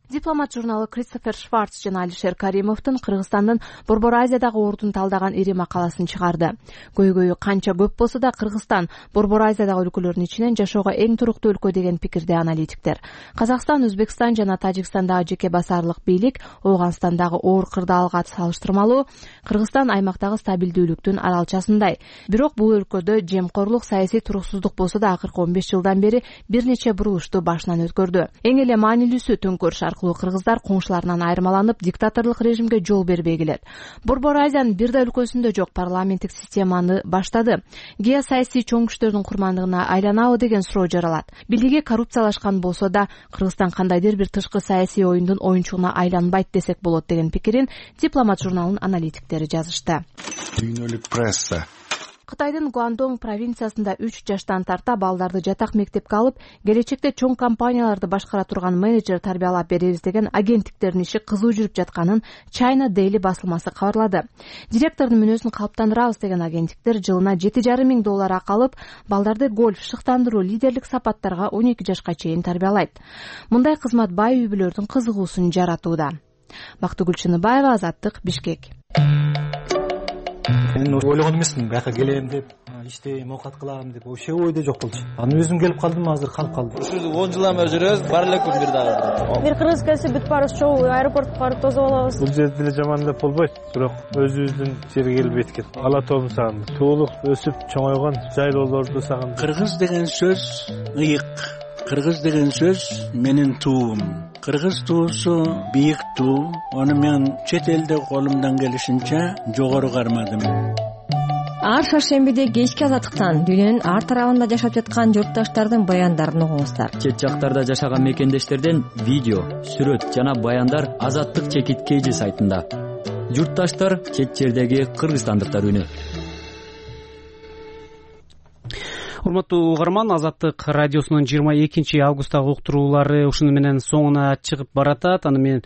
V: Дипломат журналы Кристофер Шварц жана Алишер Каримовдун Кыргызстандын Борбор Азиядагы ордун талдаган ири макаласын чыгарды. Көйгөйү канча көп болсо да Кыргызстан Борбор Азиядагы өлкөлөрдүн ичинен жашоого эң туруктуу өлкө деген пикирде аналитиктер. Казакстан, Өзбекстан жана Тажикстандагы жеке басарлык бийлик Ооганстандагы оор кырдаалга салыштырмалуу Кыргызстан аймактагы стабилдүүлүктүн аралчасындай. Бирок бул өлкөдө жемкорлук, саясий туруксуздук болсо да акыркы он беш жылдан бери бир нече бурулушту башынан өткөрдү. Эң эле маанилүүсү төңкөрүш кыргыздар коңшуларынан айырмаланып, диктаторлук режимге жол бербей келет. Борбор Азиянын бир да өлкөсүндө жок парламенттик системаны баштады. Геосаясий чоң күчтөрдүн курмандыгына айланабы деген суроо жаралат. Бийлиги коррупциялашкан болсо да, Кыргызстан кандайдыр бир тышкы саясий оюндун оюнчугуна айланбайт десек болот деген пикирин Дипломат журналынын аналитиктери жазышты.
L: Дүйнөлүк пресса.
V: Кытайдын Гуандонг провинциясында үч жаштан тарта балдарды жатак мектепке алып, келечекте чоң компанияларды башкара турган менеджер тарбиялап беребиз деген агенттиктердин иши кызуу жүрүп жатканын China Daily басылмасы кабарлады. Директордун мүнөзүн калыптандырабыз деген агенттиктер жылына жети жарым миң доллар акы алып, балдарды гольф, шыктандыруу, лидерлик сапаттарга он эки жашка чейин тарбиялайт. Мындай кызмат бай үй бүлөлөрдүн кызыгуусун жаратууда. Бактыгүл Чыныбаева, Азаттык, Бишкек.
C: мен ойлогон эмесмин бияка келем деп, иштейм, оокат кылам деп вообще ойдо жок болчу. Анан өзүм келип калдым, азыр калып калдым.
J: Ушул он жылдан бери жүрөбүз, бар элекпи бир дагы.
W: Бир кыргыз келсе бүт баарыбыз чогуу аэропортко барып тосуп алабыз.
X: Бул жерде деле жамандап болбойт, бирок өзүбүздүн жерге келбейт экен. Ала тообун сагындым. Туулук өсүп чоңойгон жайлоолорду сагындым.
Y: Кыргыз деген сөз ыйык. Кыргыз деген сөз менин туум. Кыргыз туусу бийик туу. Аны мен чет элде колумдан келишинче жогору кармадым.
E: Ар шаршембиде кечки азаттыктан дүйнөнүн ар тарабында жашап жаткан журтташтардын баяндарын угуңуздар.
Z: Чет жактарда жашаган мекендештерден видео, сүрөт жана баяндар Азаттык чекит Кж сайтында. Журтташтар чет жердеги кыргызстандыктар үнү.
A: Урматтуу угарман, Азаттык радиосунун жыйырма экинчи августтагы уктуруулары ушуну менен соңуна чыгып баратат. Аны мен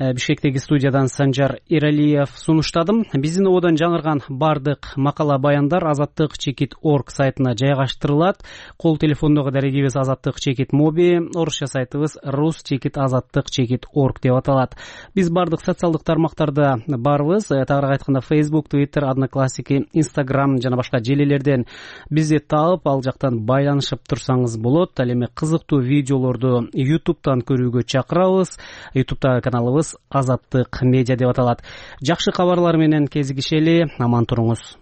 A: Бишкектеги студиядан Санжар Эралиев сунуштадым. Биздин ободон жаңырган бардык макала баяндар азаттык чекит точка орг сайтына жайгаштырылат. Кол телефондогу дарегибиз Азаттык чекит моби, орусча сайтыбыз рус чекит азаттык чекит точка орг деп аталат. Биз бардык социалдык тармактарда барбыз. Тагыраак айтканда Facebook, Twitter, Одноклассники, Instagram жана башка желилерден бизди таап, ал жактан байланышып турсаңыз болот. Ал эми кызыктуу видеолорду YouTube'дан көрүүгө чакырабыз. YouTube'дагы каналыбыз Азаттык медиа деп аталат. Жакшы кабарлар менен кезигишели, аман туруңуз.